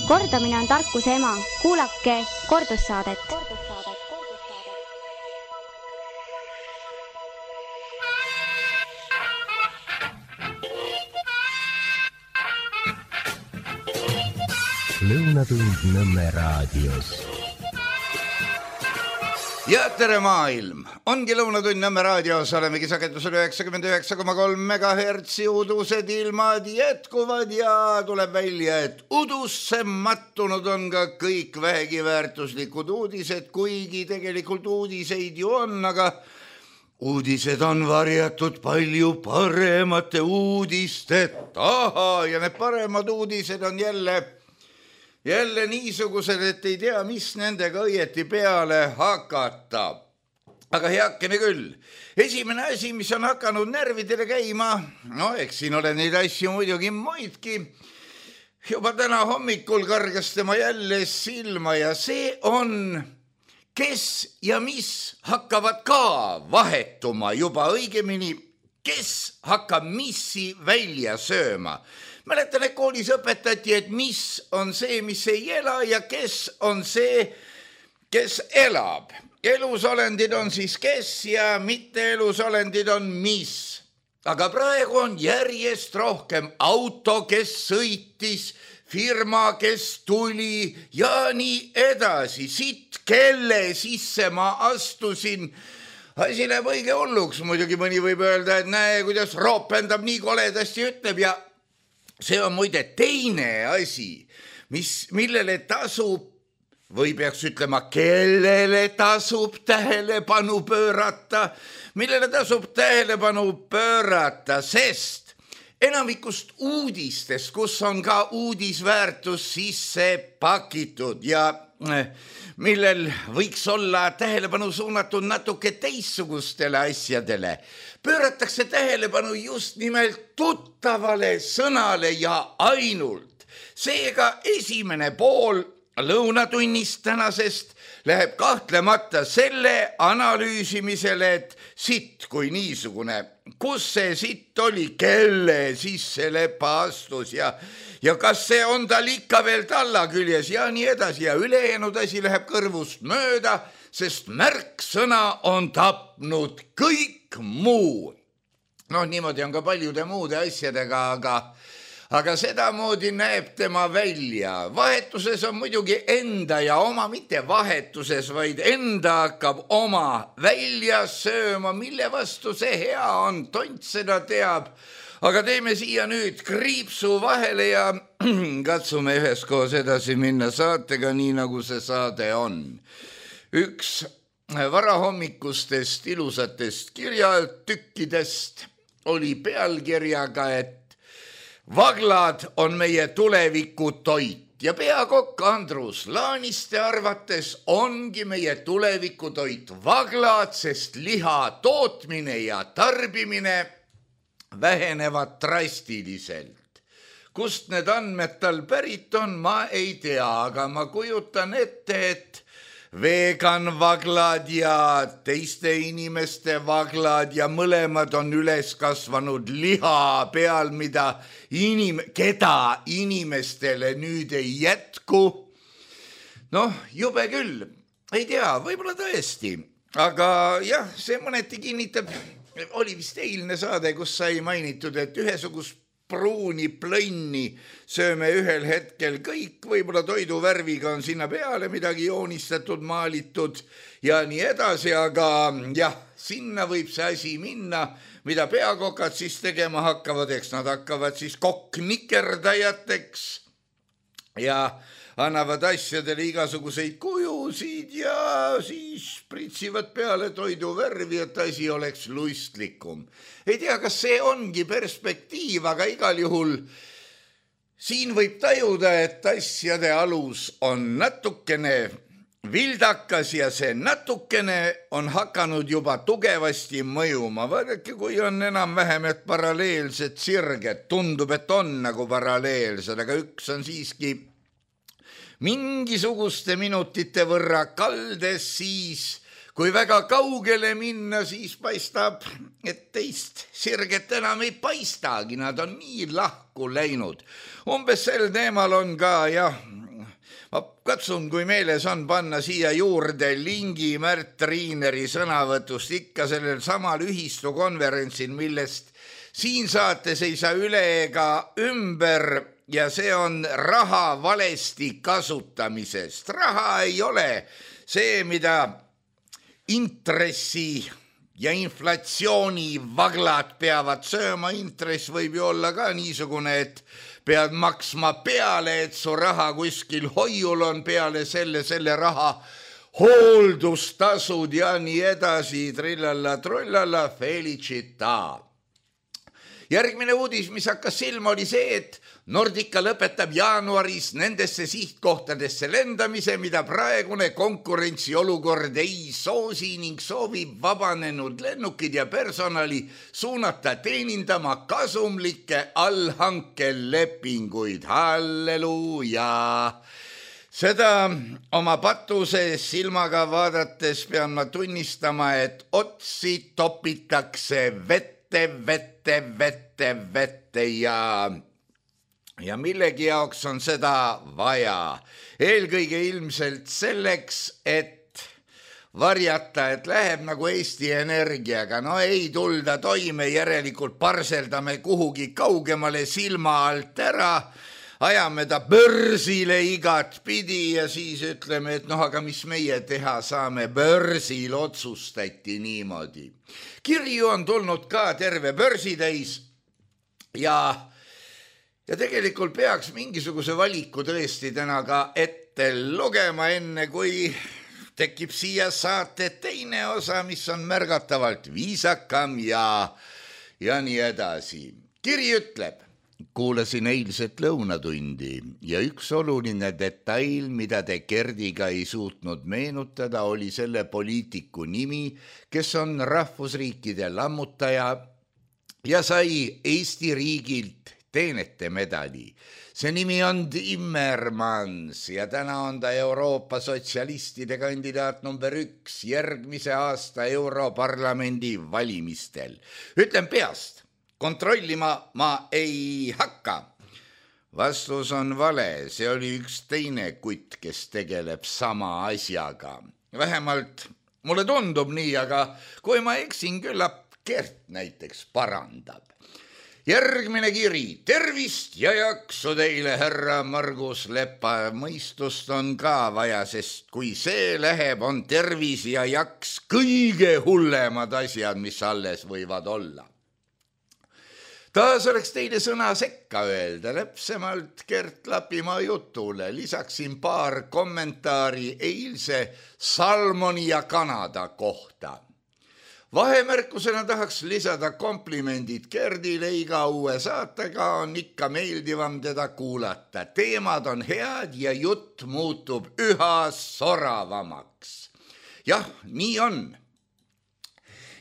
Kordamine on tarkuse ema. Kuulake kordussaadet. Lõunatund Nõmme raadios. Ja tere maailm! Ongi Lõunatund Nõmme raadios, olemegi sagedusel 99,3 MHz, udused ilmad jätkuvad ja tuleb välja, et udusse mattunud on ka kõik vähegi väärtuslikud uudised, kuigi tegelikult uudiseid ju on, aga uudised on varjatud palju paremate uudiste taha ja need paremad uudised on jälle niisugused, et ei tea, mis nendega õieti peale hakata. Aga heakene küll. Esimene asi, mis on hakanud närvidele käima, eks siin ole neid asju muidugi muidki. Juba täna hommikul kargas tema jälle silma ja see on, kes ja mis hakkavad ka vahetuma juba õigemini, kes hakkab missi välja sööma. Mäletan, et koolis õpetati, et mis on see, mis ei ela ja kes on see, kes elab. Elusolendid on siis kes ja mitte elusolendid on mis. Aga praegu on järjest rohkem auto, kes sõitis, firma, kes tuli ja nii edasi. Siit, kelle sisse ma astusin. Asi läheb õige hulluks. Muidugi mõni võib öelda, et näe, kuidas roopendab nii koledasti ütleb ja see on muide teine asi, millele tasub, või peaks ütlema, kellele tasub tähelepanu pöörata, sest enamikust uudistest, kus on ka uudisväärtus sisse pakitud ja millel võiks olla tähelepanu suunatud natuke teissugustele asjadele, pööratakse tähelepanu just nimelt tuttavale sõnale ja ainult. Seega esimene pool lõunatunnist tänasest läheb kahtlemata selle analüüsimisele, et sitt kui niisugune, kus see sitt oli, kelle sisse lepa astus ja kas see on tal ikka veel talla küljes ja nii edasi ja ülejäänud asi läheb kõrvust mööda, sest märksõna on tapnud kõik muu. Niimoodi on ka paljude muude asjadega, aga sedamoodi näeb tema välja. Vahetuses on muidugi enda ja oma, mitte vahetuses, vaid enda hakkab oma välja sööma, mille vastu see hea on, tont seda teab. Aga teeme siia nüüd kriipsu vahele ja katsume üheskoos edasi minna saatega, nii nagu see saade on. Üks varahommikustest ilusatest kirjatükkidest oli pealkirjaga, et vaglad on meie tuleviku toit ja peakokk Andrus Laaniste arvates ongi meie tuleviku toit vaglad, sest liha tootmine ja tarbimine vähenevad drastiliselt. Kust need andmed tal pärit on, ma ei tea, aga ma kujutan ette, et vegan-vaglad ja teiste inimeste vaglad ja mõlemad on üles kasvanud liha peal, keda inimestele nüüd ei jätku. Jube küll, ei tea, võib-olla tõesti, aga jah, see mõneti kinnitab, oli vist eilne saade, kus sai mainitud, et ühesugust pruuni plõnni sööme ühel hetkel kõik, võib-olla toiduvärviga on sinna peale midagi joonistatud, maalitud ja nii edasi, aga jah, sinna võib see asi minna, mida peakokad siis tegema hakkavad, eks nad hakkavad siis kokknikerdajateks ja annavad asjadele igasuguseid kujusid ja siis pritsivad peale toiduvärvi, et asi oleks lustlikum. Ei tea, kas see ongi perspektiiv, aga igal juhul siin võib tajuda, et asjade alus on natukene vildakas ja see natukene on hakanud juba tugevasti mõjuma. Vaadake, kui on enam-vähem, et paralleelsed sirged, tundub, et on nagu paralleelsed, aga üks on siiski mingisuguste minutite võrra kaldes, siis kui väga kaugele minna, siis paistab, et teist sirget enam ei paistagi, nad on nii lahku läinud. Umbes sel teemal on ka Katsun, kui meeles on, panna siia juurde lingi Märt Riineri sõnavõtust ikka sellel samal ühistukonverentsil, millest siin saates ei saa üle ega ümber, ja see on raha valesti kasutamisest. Raha ei ole see, mida intressi ja inflatsiooni vaglad peavad sööma. Intress võib ju olla ka niisugune, et pead maksma peale, et su raha kuskil hoiul on, peale selle raha hooldustasud ja nii edasi, trillalla, trullalla, felicita. Järgmine uudis, mis hakkas silma, oli see, et Nordica lõpetab jaanuaris nendesse sihtkohtadesse lendamise, mida praegune konkurentsiolukord ei soosi ning soovib vabanenud lennukid ja personali suunata teenindama kasumlikke allhankelepinguid. Halleluuja! Seda oma patuse silmaga vaadates pean ma tunnistama, et otsi topitakse vette ja millegi jaoks on seda vaja. Eelkõige ilmselt selleks, et varjata, et läheb nagu Eesti Energiaga. No ei tulda toime, järelikult parseldame kuhugi kaugemale silma alt ära, ajame ta börsile igat pidi ja siis ütleme, et aga mis meie teha saame, börsil otsustati niimoodi. Kirju on tulnud ka terve börsitäis ja tegelikult peaks mingisuguse valiku tõesti täna ka ette lugema, enne kui tekib siia saate teine osa, mis on märgatavalt viisakam ja nii edasi. Kiri ütleb: kuulasin eilset lõunatundi ja üks oluline detail, mida te Gerdiga ei suutnud meenutada, oli selle poliitiku nimi, kes on rahvusriikide lammutaja ja sai Eesti riigilt teenete medali. See nimi on Timmermans ja täna on ta Euroopa sotsialistide kandidaat number 1 järgmise aasta Europarlamendi valimistel. Ütlen peast, kontrollima ma ei hakka. Vastus on vale, see oli üks teine kutt, kes tegeleb sama asjaga. Vähemalt mulle tundub nii, aga kui ma eksin, küllap Gert näiteks parandab. Järgmine kiri: tervist ja jaksu teile, härra Margus Lepa. Mõistust on ka vaja, sest kui see läheb, on tervis ja jaks kõige hullemad asjad, mis alles võivad olla. Taas oleks teile sõna sekka öelda, täpsemalt Gert Lapimaa jutule. Lisaksin paar kommentaari eilse Salmoni ja Kanada kohta. Vahemärkusena tahaks lisada komplimendid Gerdile, iga uue saatega on ikka meeldivam teda kuulata. Teemad on head ja jutt muutub üha soravamaks. Jah, nii on.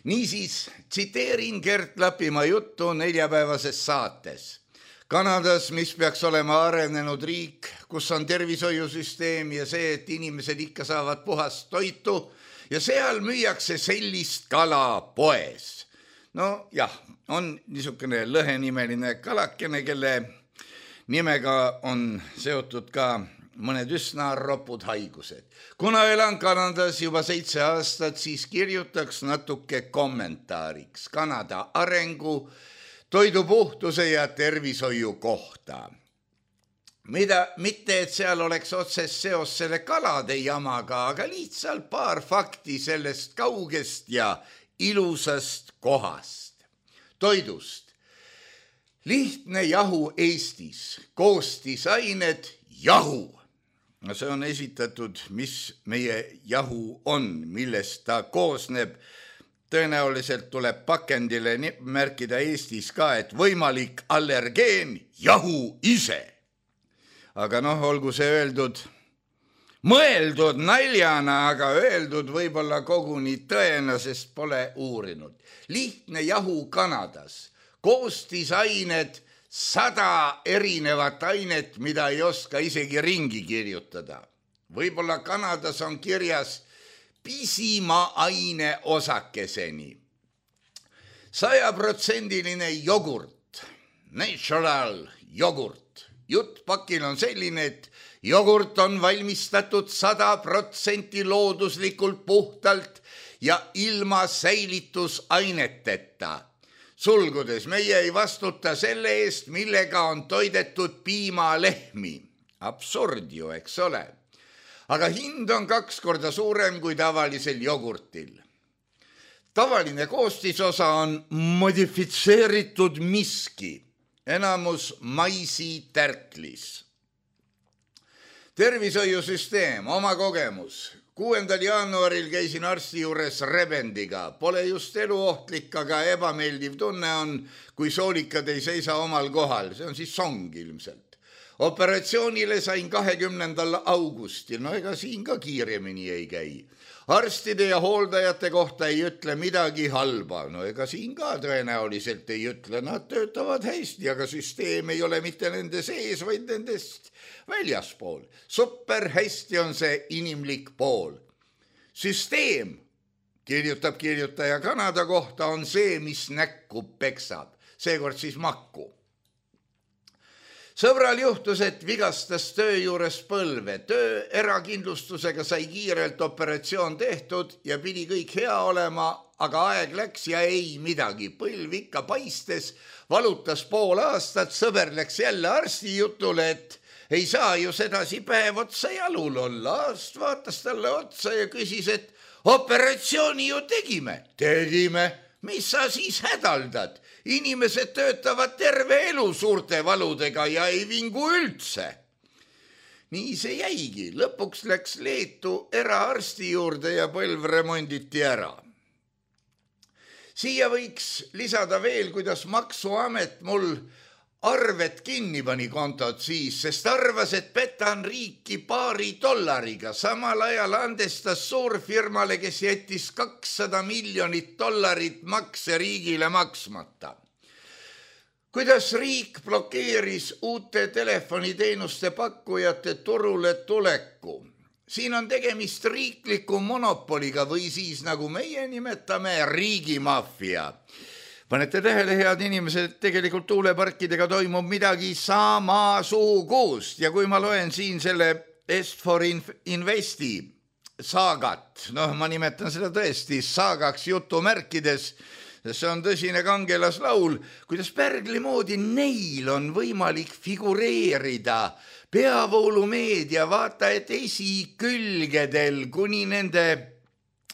Niisiis, tsiteerin Gert Lapimaa juttu neljapäevases saates. Kanadas, mis peaks olema arenenud riik, kus on tervishoiusüsteem ja see, et inimesed ikka saavad puhast toitu, ja seal müüakse sellist kala poes. No jah, on niisugune lõhenimeline kalakene, kelle nimega on seotud ka mõned üsna ropud haigused. Kuna elan Kanadas juba 7 aastat, siis kirjutaks natuke kommentaariks Kanada arengu, toidupuhtuse ja tervishoiu kohta. Mitte, et seal oleks otsest seos selle kalade jamaga, aga lihtsalt paar fakti sellest kaugest ja ilusast kohast. Toidust. Lihtne jahu Eestis. Koostisained jahu. No see on esitatud, mis meie jahu on, millest ta koosneb. Tõenäoliselt tuleb pakendile märkida Eestis ka, et võimalik allergeen jahu ise. Aga olgu see öeldud, mõeldud naljana, aga öeldud võib-olla koguni tõena, sest pole uurinud. Lihtne jahu Kanadas, koostisained 100 erinevat ainet, mida ei oska isegi ringi kirjutada. Võib-olla Kanadas on kirjas pisima aine osakeseni. 100% jogurt, natural jogurt. Jutt pakil on selline, et jogurt on valmistatud 100% looduslikult puhtalt ja ilma säilitusaineteta. Sulgudes, meie ei vastuta selle eest, millega on toidetud piimalehmi. Absurd ju, eks ole. Aga hind on 2 korda suurem kui tavalisel jogurtil. Tavaline koostisosa on modifitseeritud miski, enamus maisitärklis. Tervishoiusüsteem, oma kogemus. 6. jaanuaril käisin arsti juures rebendiga. Pole just eluohtlik, aga ebameeldiv tunne on, kui soolikad ei seisa omal kohal. See on siis song ilmselt. Operatsioonile sain 20. augustil. No ega siin ka kiiremini ei käi. Arstide ja hooldajate kohta ei ütle midagi halba. No ega siin ka tõenäoliselt ei ütle. Nad töötavad hästi, aga süsteem ei ole mitte nende sees, vaid nendest väljaspool. Super hästi on see inimlik pool. Süsteem, kirjutab kirjutaja Kanada kohta, on see, mis näkku peksab. Seekord siis makku. Sõbral juhtus, et vigastas töö juures põlve. Töö erakindlustusega sai kiirelt operatsioon tehtud ja pidi kõik hea olema, aga aeg läks ja ei midagi. Põlv ikka paistes, valutas pool aastat, sõber läks jälle arsti jutule, et ei saa ju sedasi päev otsa jalul olla. Arst vaatas talle otsa ja küsis, et operatsiooni ju tegime. Tegime. Mis sa siis hädaldad? Inimesed töötavad terve elu suurte valudega ja ei vingu üldse. Nii see jäigi. Lõpuks läks Leetu eraarsti juurde ja põlv remonditi ära. Siia võiks lisada veel, kuidas maksuamet mul arvet kinni pani kontot siis, sest arvas, et petan riiki $2. Samal ajal andestas suurfirmale, kes jättis $200 miljonit makse riigile maksmata. Kuidas riik blokeeris uute telefoniteenuste pakkujate turule tuleku? Siin on tegemist riikliku monopoliga või siis, nagu meie nimetame, riigimaffia. Panete tähele, head inimesed, tegelikult tuuleparkidega toimub midagi samasugust ja kui ma loen siin selle Est4 Investi saagat, ma nimetan seda tõesti saagaks jutumärkides, see on tõsine kangelaslaul, kuidas pärgli moodi neil on võimalik figureerida peavoolumeedia vaata et esikülgedel kuni nende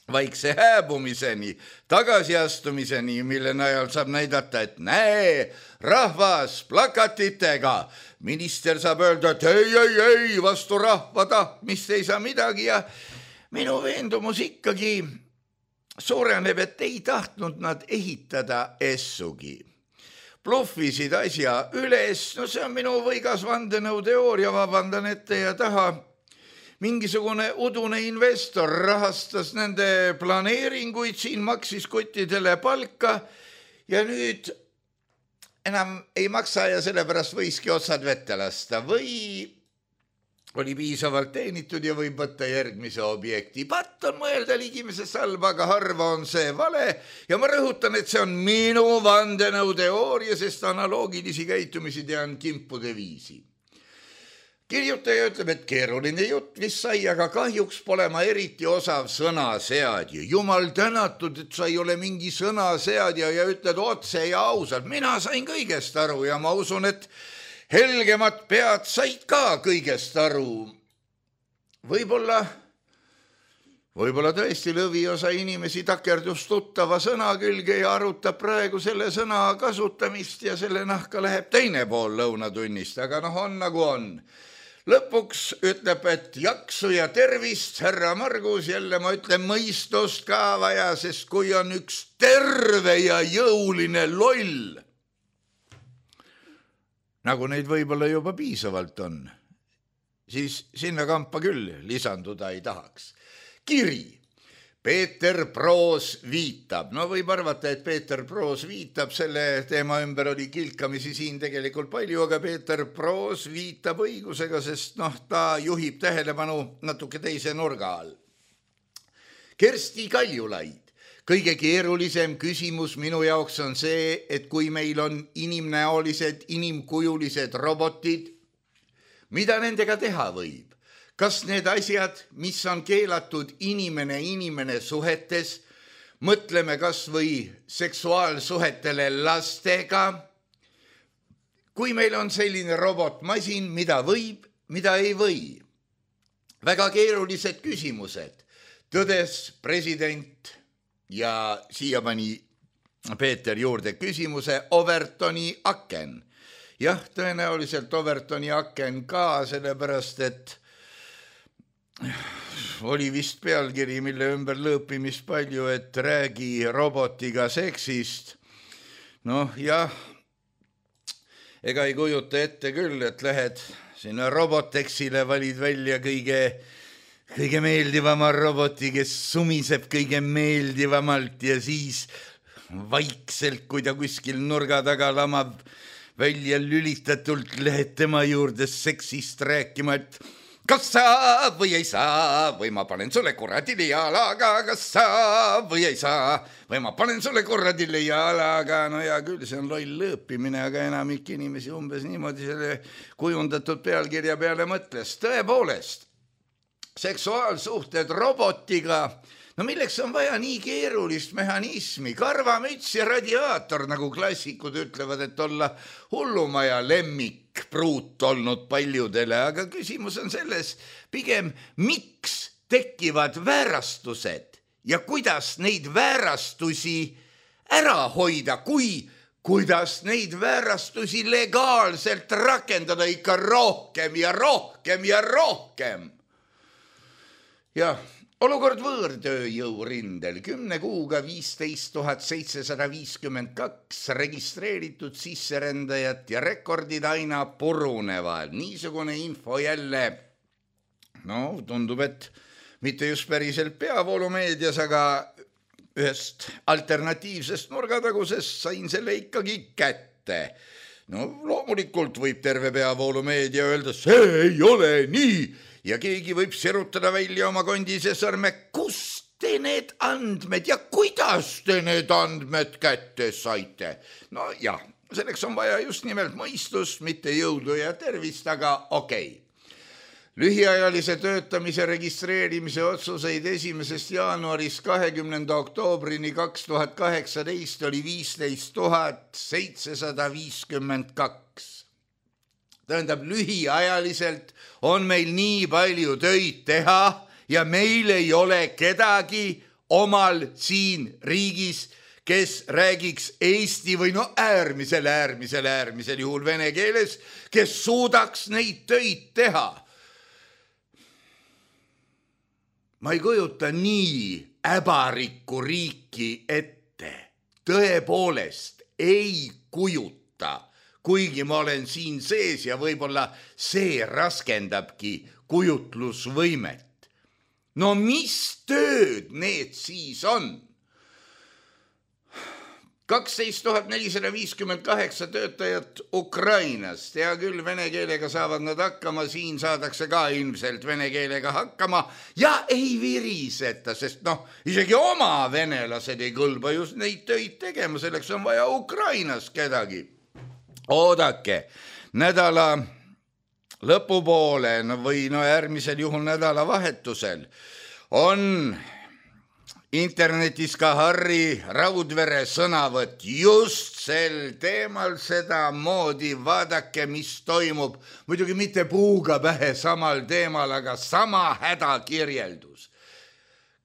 vaikse hääbumiseni, tagasiastumiseni, mille najal saab näidata, et näe, rahvas plakatitega. Minister saab öelda, et ei, vastu rahva tahtmist ei saa midagi ja minu veendumus ikkagi suureneb, et ei tahtnud nad ehitada essugi. Bluffisid asja üles, see on minu võigas vandenõuteooria, vabandan ette ja taha. Mingisugune udune investor rahastas nende planeeringuid, siin maksis kottidele palka ja nüüd enam ei maksa ja sellepärast võiski otsad vette lasta või oli piisavalt teenitud ja võib võtta järgmise objekti. Patt on mõelda ligimese salba, aga harva on see vale ja ma rõhutan, et see on minu vandenõuteooria, sest analoogilisi käitumisi tean kimpude viisi. Kirjutaja ütleb, et keeruline jutt, mis sai, aga kahjuks pole ma eriti osav sõnaseadja. Jumal tänatud, et sa ei ole mingi sõnaseadja ja ütled otse ja ausalt. Mina sain kõigest aru ja ma usun, et helgemad pead said ka kõigest aru. Võib-olla tõesti lõviosa inimesi takerdus tuttava sõna külge ja arutab praegu selle sõna kasutamist ja selle nahka läheb teine pool lõunatunnist, aga on nagu on. Lõpuks ütleb, et jaksu ja tervist, härra Margus, jälle ma ütlen mõistust ka vaja, sest kui on üks terve ja jõuline loll, nagu neid võib-olla juba piisavalt on, siis sinna kampa küll lisanduda ei tahaks. Kiri. Peeter Proos viitab. Võib arvata, et Peeter Proos viitab, selle teema ümber oli kilkamisi siin tegelikult palju, aga Peeter Proos viitab õigusega, sest ta juhib tähelepanu natuke teise nurga all. Kersti Kaljulaid. Kõige keerulisem küsimus minu jaoks on see, et kui meil on inimnäolised, inimkujulised robotid, mida nendega teha võib? Kas need asjad, mis on keelatud inimene suhetes, mõtleme kas või seksuaalsuhetele lastega, kui meil on selline robotmasin, mida võib, mida ei või. Väga keerulised küsimused, tõdes president ja siia pani Peeter juurde küsimuse Overtoni aken. Jah, tõenäoliselt Overtoni aken ka, sellepärast et oli vist pealkiri, mille ümber lõõpimis palju, et räägi robotiga seksist. Noh, jah, ega ei kujuta ette küll, et lähed sinna Robotexile, valid välja kõige meeldivama roboti, kes sumiseb kõige meeldivamalt ja siis vaikselt, kui ta kuskil nurga taga lamab, välja lülitatult lähed tema juurde seksist rääkima, et kas saa või ei saa, või ma panen sulle kuradile jalaga, kas saa või ei saa, või ma panen sulle kuradile jalaga. No ja küll, see on loll lõõpimine, aga enamik inimesi umbes niimoodi selle kujundatud pealkirja peale mõtles. Tõepoolest, seksuaalsuhted robotiga, no milleks on vaja nii keerulist mehhanismi, karvamüts ja radiaator, nagu klassikud ütlevad, et olla hullumaja lemmikpruut olnud paljudele, aga küsimus on selles pigem, miks tekivad väärastused ja kuidas neid väärastusi ära hoida, kuidas neid väärastusi legaalselt rakendada ikka rohkem ja rohkem ja rohkem. Jah. Olukord võõrtööjõu rindel 10 kuuga 15 752 registreeritud sisserändajat ja rekordid aina purunevad. Niisugune info jälle, no tundub, et mitte just päriselt peavoolumeedias, aga ühest alternatiivsest nurgatagusest sain selle ikkagi kätte. No loomulikult võib terve peavoolumeedia öelda, see ei ole nii. Ja keegi võib sirutada välja oma kondise sõrme, kust te need andmed ja kuidas te need andmed kätte saite? No jah, selleks on vaja just nimelt mõistust, mitte jõudu ja tervist, aga okei. Lühiajalise töötamise registreerimise otsuseid 1. jaanuarist 20. oktoobrini 2018 oli 15 752. Tähendab, lühiajaliselt on meil nii palju töid teha ja meil ei ole kedagi omal siin riigis, kes räägiks eesti või no äärmisel juhul vene keeles, kes suudaks neid töid teha. Ma ei kujuta nii äbarikku riiki ette. Tõepoolest ei kujuta. Kuigi ma olen siin sees ja võib-olla see raskendabki kujutlusvõimet. No mis tööd need siis on? 12 458 töötajat Ukrainast. Hea küll, vene keelega saavad nad hakkama, siin saadakse ka ilmselt vene keelega hakkama ja ei viriseta, sest isegi oma venelased ei kõlba just neid töid tegema, selleks on vaja Ukrainas kedagi. Oodake, nädala lõpupoole või äärmisel juhul nädala vahetusel on internetis ka Harri Raudvere sõnavõtt just sel teemal sedamoodi. Vaadake, mis toimub. Muidugi mitte puuga pähe samal teemal, aga sama hädakirjeldus.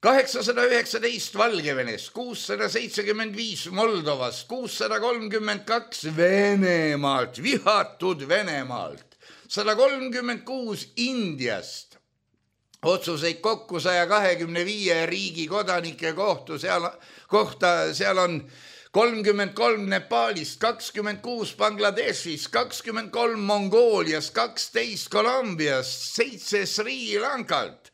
819 Valgevenes, 675 Moldovas, 632 Venemaalt, vihatud Venemaalt, 136 Indiast, otsuseid kokku 125 riigi kodanike kohta, seal on 33 Nepaalist, 26 Bangladeshis, 23 Mongoolias, 12 Kolumbiast, 7 Sri Lankalt.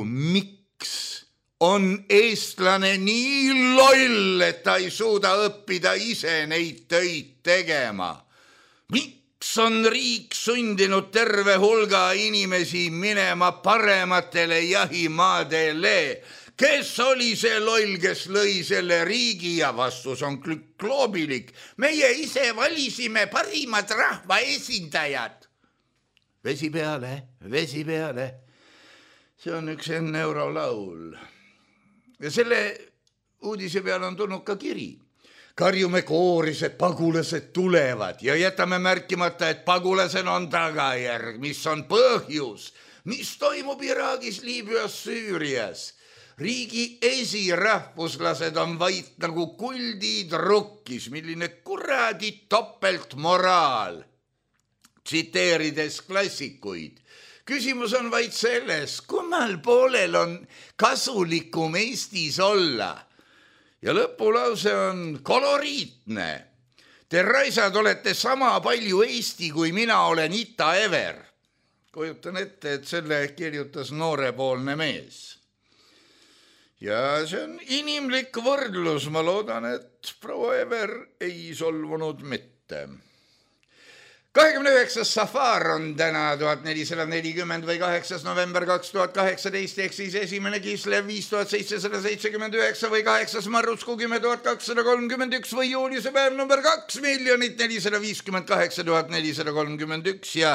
Miks on eestlane nii loll, et ta ei suuda õppida ise neid töid tegema? Miks on riik sundinud terve hulga inimesi minema parematele jahimaadele? Kes oli see loll, kes lõi selle riigi ja vastus on kloobilik. Meie ise valisime parimad rahvaesindajad. Vesi peale, vesi peale. See on üks enne eurolaul. Ja selle uudise peale on tulnud ka kiri. Karjume kooris, et pagulased tulevad ja jätame märkimata, et pagulasel on tagajärg, mis on põhjus, mis toimub Iraagis, Liibüas, Süürias. Riigi esirahvuslased on vaid nagu kuldid rukkis, milline kuradi topeltmoraal. Tsiteerides klassikuid. Küsimus on vaid selles, kummal poolel on kasulikum Eestis olla. Ja lõpulause on koloriitne. Te raisad olete sama palju Eesti, kui mina olen Ita Ever. Kujutan ette, et selle kirjutas noorepoolne mees. Ja see on inimlik võrdlus. Ma loodan, et proua Ever ei solvunud mitte. 29. Safar on täna 1440 või 8. november 2018 ehk siis esimene Kislev 5779 või 8. Marrusku 10231 või juulise päev number 2 458 431 ja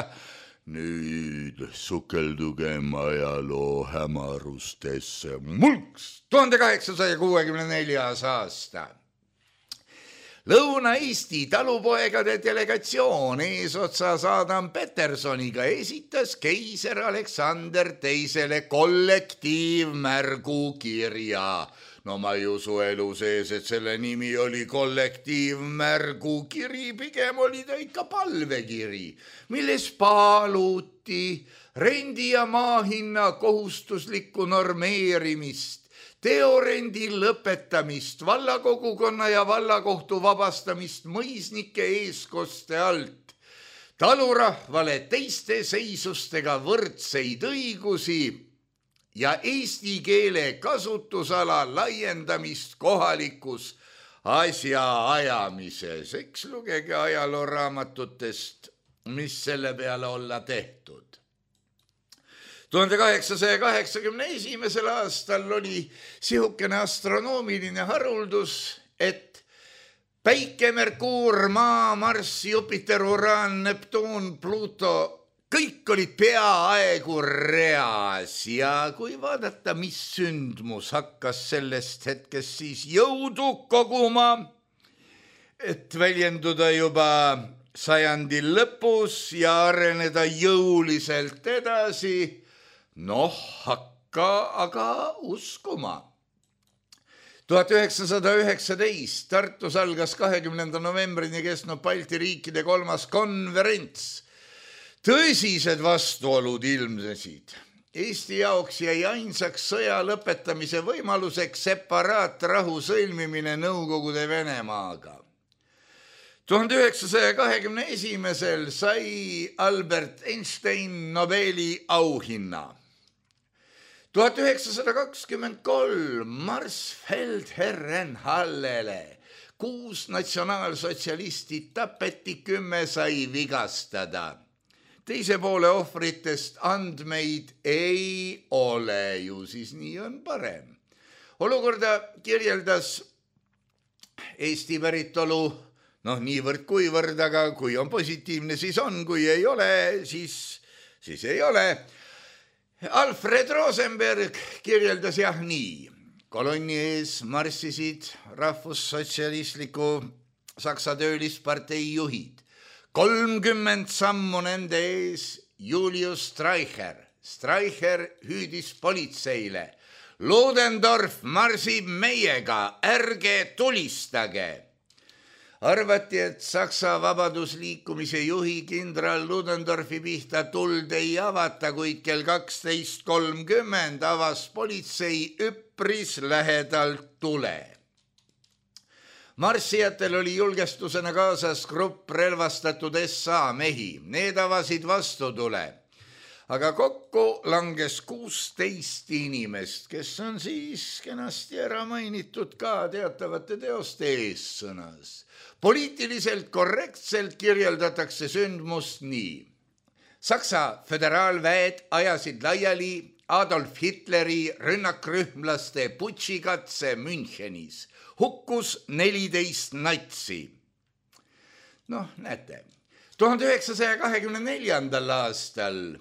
nüüd sukeldugem ajaloo hämarustesse. Mulks 1864. aasta. Lõuna-Eesti talupoegade delegatsioon eesotsas Adam Petersoniga esitas keiser Aleksander teisele kollektiivmärgu kirja. No ma ei usu elu sees, et selle nimi oli kollektiivmärgu kiri, pigem oli ta ikka palvekiri, milles paluti rendi ja maahinna kohustuslikku normeerimist, teorendi lõpetamist, vallakogukonna ja vallakohtu vabastamist mõisnike eeskoste alt, talurahvale teiste seisustega võrdseid õigusi ja eesti keele kasutusala laiendamist kohalikus asjaajamises. Eks lugege ajalooraamatutest, mis selle peale olla tehtud. 1881. aastal oli sihukene astronoomiline haruldus, et Päike, Merkuur, Maa, Marss, Jupiter, Uraan, Neptuun, Pluto, kõik olid peaaegu reas ja kui vaadata, mis sündmus hakkas sellest hetkest siis jõudu koguma, et väljenduda juba sajandi lõpus ja areneda jõuliselt edasi, hakka aga uskuma. 1919 Tartus algas 20. novembrini kestnud Balti riikide 3. konverents. Tõsised vastuolud ilmnesid. Eesti jaoks jäi ainsaks sõja lõpetamise võimaluseks separaatrahu sõlmimine Nõukogude Venemaaga. 1921. sai Albert Einstein Nobeli auhinna. 1923 Marsfeld-Herren Hallele 6 natsionaalsotsialisti tapeti, 10 sai vigastada. Teise poole ohvritest andmeid ei ole ju, siis nii on parem. Olukorda kirjeldas Eesti päritolu, niivõrd kuivõrd, aga kui on positiivne, siis on, kui ei ole, siis ei ole. Alfred Rosenberg kirjeldas nii. Kolonni ees marssisid rahvussotsialistliku Saksa töölispartei juhid. 30 sammu nende ees Julius Streicher. Streicher hüüdis politseile. Ludendorff marsib meiega, ärge tulistage. Arvati, et Saksa vabadusliikumise juhi kindral Ludendorffi pihta tuld ei avata, kuid kell 12.30 avas politsei üpris lähedalt tule. Marssijatel oli julgestusena kaasas grupp relvastatud SA mehi. Need avasid vastutule. Aga kokku langes 16 inimest, kes on siis kenasti ära mainitud ka teatavate teoste eessõnas. Poliitiliselt korrektselt kirjeldatakse sündmust nii. Saksa föderaalväed ajasid laiali Adolf Hitleri rünnakrühmlaste putšikatse Münchenis. Hukkus 14 natsi. Noh, näete. 1924. aastal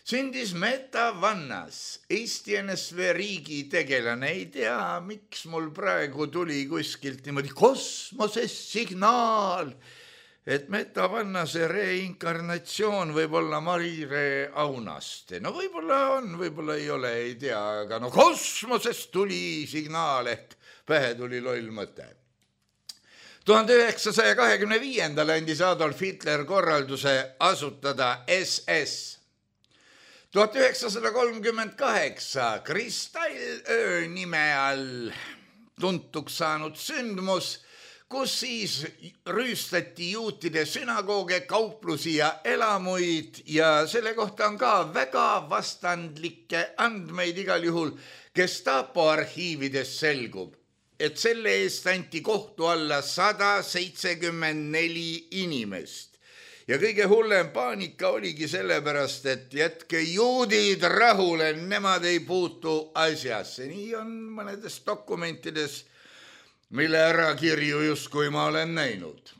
sündis Meta Vannas, Eesti NSV riigi tegelane. Ei tea, miks mul praegu tuli kuskilt niimoodi kosmosest signaal, et Meta Vannase reinkarnatsioon võib olla Marire Aunaste. No võib-olla on, võib-olla ei ole, ei tea, aga no kosmosest tuli signaal ehk pähe tuli loll mõte. 1925. andis Adolf Hitler korralduse asutada SS. 1938 Kristallöö nime all tuntuks saanud sündmus, kus siis rüüstati juutide sünagooge, kauplusi ja elamuid ja selle kohta on ka väga vastandlikke andmeid igal juhul. Gestapo arhiivides selgub, et selle eest anti kohtu alla 174 inimest. Ja kõige hullem paanika oligi sellepärast, et jätke juudid rahule, nemad ei puutu asjasse. Nii on mõnedes dokumentides, mille ärakirju justkui ma olen näinud.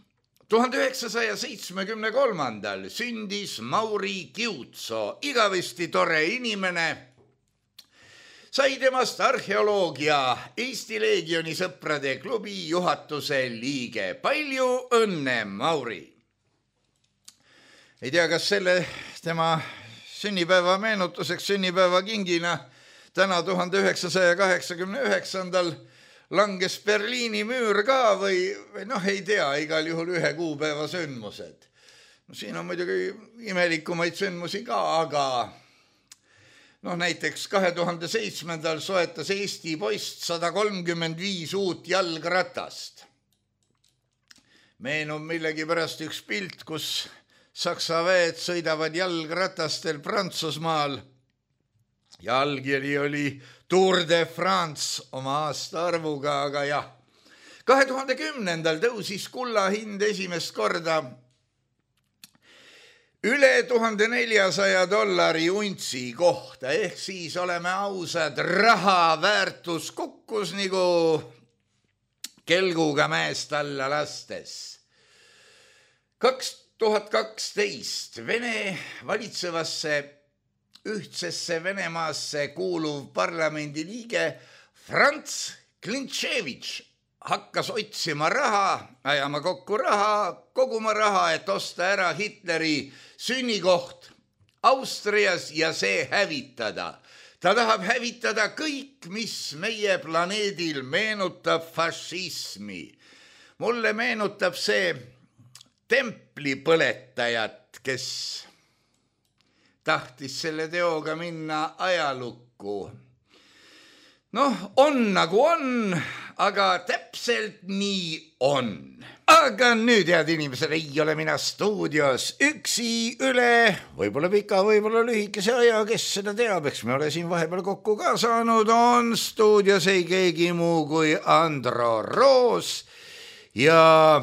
1973. sündis Mauri Kiutso, igavesti tore inimene. Sai temast arheoloogia Eesti Leegioni sõprade klubi juhatuse liige. Palju õnne, Mauri! Ei tea, kas selle tema sünnipäeva meenutuseks, sünnipäeva kingina täna 1989. langes Berliini müür ka või noh, ei tea, igal juhul ühe kuupäeva sündmused. No, siin on muidugi imelikumaid sündmusi ka, aga noh, näiteks 2007. soetas Eesti poist 135 uut jalgratast. Meenub millegi pärast üks pilt, kus Saksa väed sõidavad jalgratastel Prantsusmaal ja allkiri oli Tour de France oma aastaarvuga, aga jah. 2010. tõusis kulla hind esimest korda üle $1400 untsi kohta, ehk siis oleme ausad, raha väärtus kukkus nagu kelguga mäest alla lastes. 2012 Vene valitsevasse ühtsesse Venemaasse kuuluv parlamendi liige Franz Klintševitš hakkas otsima raha, ajama kokku raha, koguma raha, et osta ära Hitleri sünnikoht Austrias ja see hävitada. Ta tahab hävitada kõik, mis meie planeedil meenutab fašismi. Mulle meenutab see templipõletajat, kes tahtis selle teoga minna ajalukku. Noh, on nagu on, aga täpselt nii on. Aga nüüd, head inimesed, ei ole mina stuudios üksi üle, võib-olla pika, võib-olla lühikese aja, kes seda teab, eks me ole siin vahepeal kokku ka saanud, on stuudios ei keegi muu kui Andro Roos ja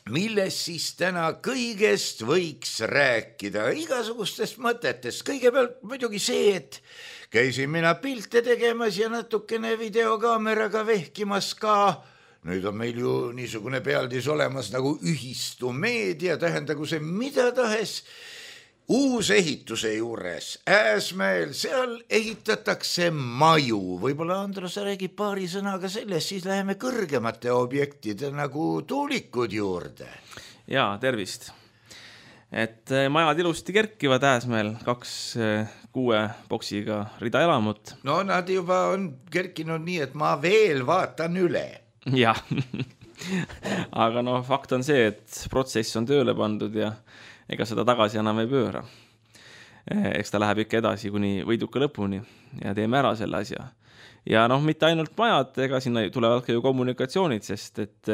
millest siis täna kõigest võiks rääkida, igasugustest mõtetest. Kõigepealt muidugi see, et käisin mina pilte tegemas ja natukene videokaameraga vehkimas ka. Nüüd on meil ju niisugune pealdis olemas nagu ühistumeedia, tähendagu see mida tahes. Uus ehituse juures, Ääsmäel, seal ehitatakse maju. Võib-olla Andro, sa räägib paari sõnaga sellest, siis läheme kõrgemate objektide nagu tuulikud juurde. Jaa, tervist. Et majad ilusti kerkivad Ääsmäel, 2 6 boksiga rida elamut. No nad juba on kerkinud nii, et ma veel vaatan üle. Jah, aga no fakt on see, et protsess on tööle pandud ja ega seda tagasi enam ei pööra. Eks ta läheb ikka edasi kuni võiduka lõpuni ja teeme ära selle asja. Ja noh, mitte ainult majad, ega sinna tulevad ka ju kommunikatsioonid, sest et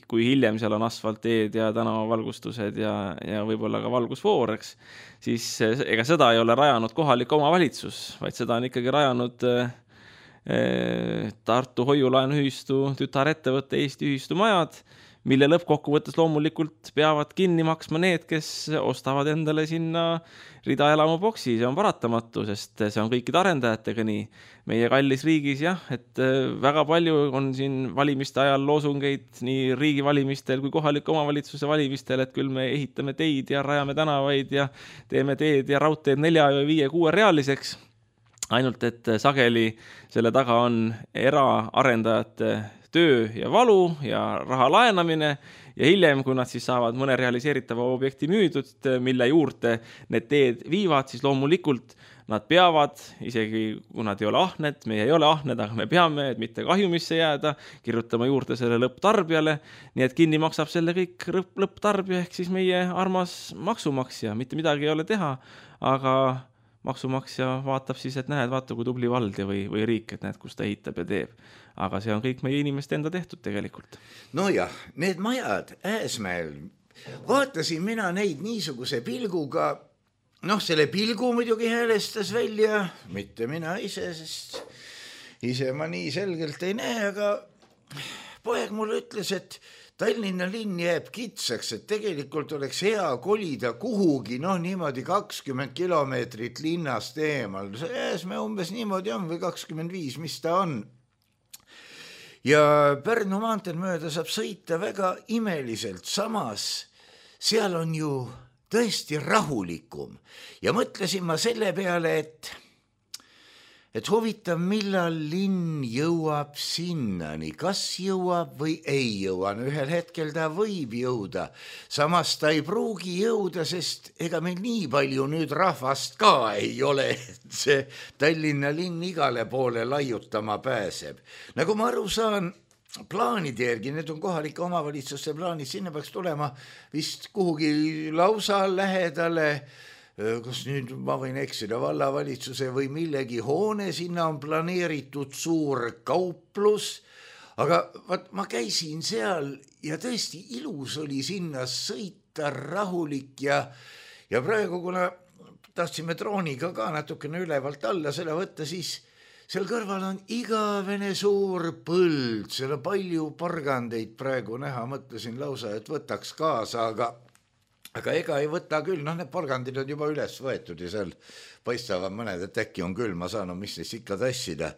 kui hiljem seal on asfalteed ja tänavavalgustused ja võib-olla ka valgusvooreks, siis ega seda ei ole rajanud kohalik omavalitsus, vaid seda on ikkagi rajanud Tartu Hoiulaenuühistu tütarettevõtte Eesti Ühistumajad, mille lõppkokkuvõttes loomulikult peavad kinni maksma need, kes ostavad endale sinna ridaelamuboksi. See on paratamatu, sest see on kõikide arendajatega nii. Meie kallis riigis jah, et väga palju on siin valimiste ajal loosungeid nii riigi valimistel kui kohaliku omavalitsuse valimistel, et küll me ehitame teid ja rajame tänavaid ja teeme teed ja raudteed 4, 5, 6 realiseks. Ainult, et sageli selle taga on eraarendajate töö ja valu ja raha laenamine ja hiljem, kui nad siis saavad mõne realiseeritava objekti müüdud, mille juurde need teed viivad, siis loomulikult nad peavad, isegi kui nad ei ole ahned, meie ei ole ahned, aga me peame, et mitte kahjumisse jääda, kirjutama juurde selle lõpptarbijale, nii et kinni maksab selle kõik lõpptarbija ehk siis meie armas maksumaksja, mitte midagi ei ole teha, aga maksumaksja vaatab siis, et näed, vaata kui tubli vald või riik, et näed, kus ta ehitab ja teeb. Aga see on kõik meie inimeste enda tehtud tegelikult. No jah, need majad Ääsmäel, vaatasin mina neid niisuguse pilguga, selle pilgu muidugi häälestas välja, mitte mina ise, sest ise ma nii selgelt ei näe, aga poeg mulle ütles, et Tallinna linn jääb kitsaks, et tegelikult oleks hea kolida kuhugi, niimoodi 20 kilomeetrit linnast eemal. Ääsmäe umbes niimoodi on või 25, mis ta on. Ja Pärnu maanteel mööda saab sõita väga imeliselt, samas seal on ju tõesti rahulikum. Ja mõtlesin ma selle peale, et huvitav, millal linn jõuab sinnani, kas jõuab või ei jõua. Ühel hetkel ta võib jõuda, samas ta ei pruugi jõuda, sest ega meil nii palju nüüd rahvast ka ei ole, et see Tallinna linn igale poole laiutama pääseb. Nagu ma aru saan, plaanide järgi, need on kohalike omavalitsuste plaanid, sinna peaks tulema vist kuhugi lausa lähedale, kas nüüd ma võin eksida, vallavalitsuse või millegi hoone, sinna on planeeritud suur kauplus, aga ma käisin seal ja tõesti ilus oli sinna sõita, rahulik ja praegu, kuna tahtsime drooniga ka natukene ülevalt alla selle võtta, siis seal kõrval on igavene suur põld, seal on palju porgandeid praegu näha, mõtlesin lausa, et võtaks kaasa, aga ega ei võta küll, need porgandid on juba üles võetud ja seal paistavad mõned, et äkki on küll, ma saan, mis neist ikka tassida.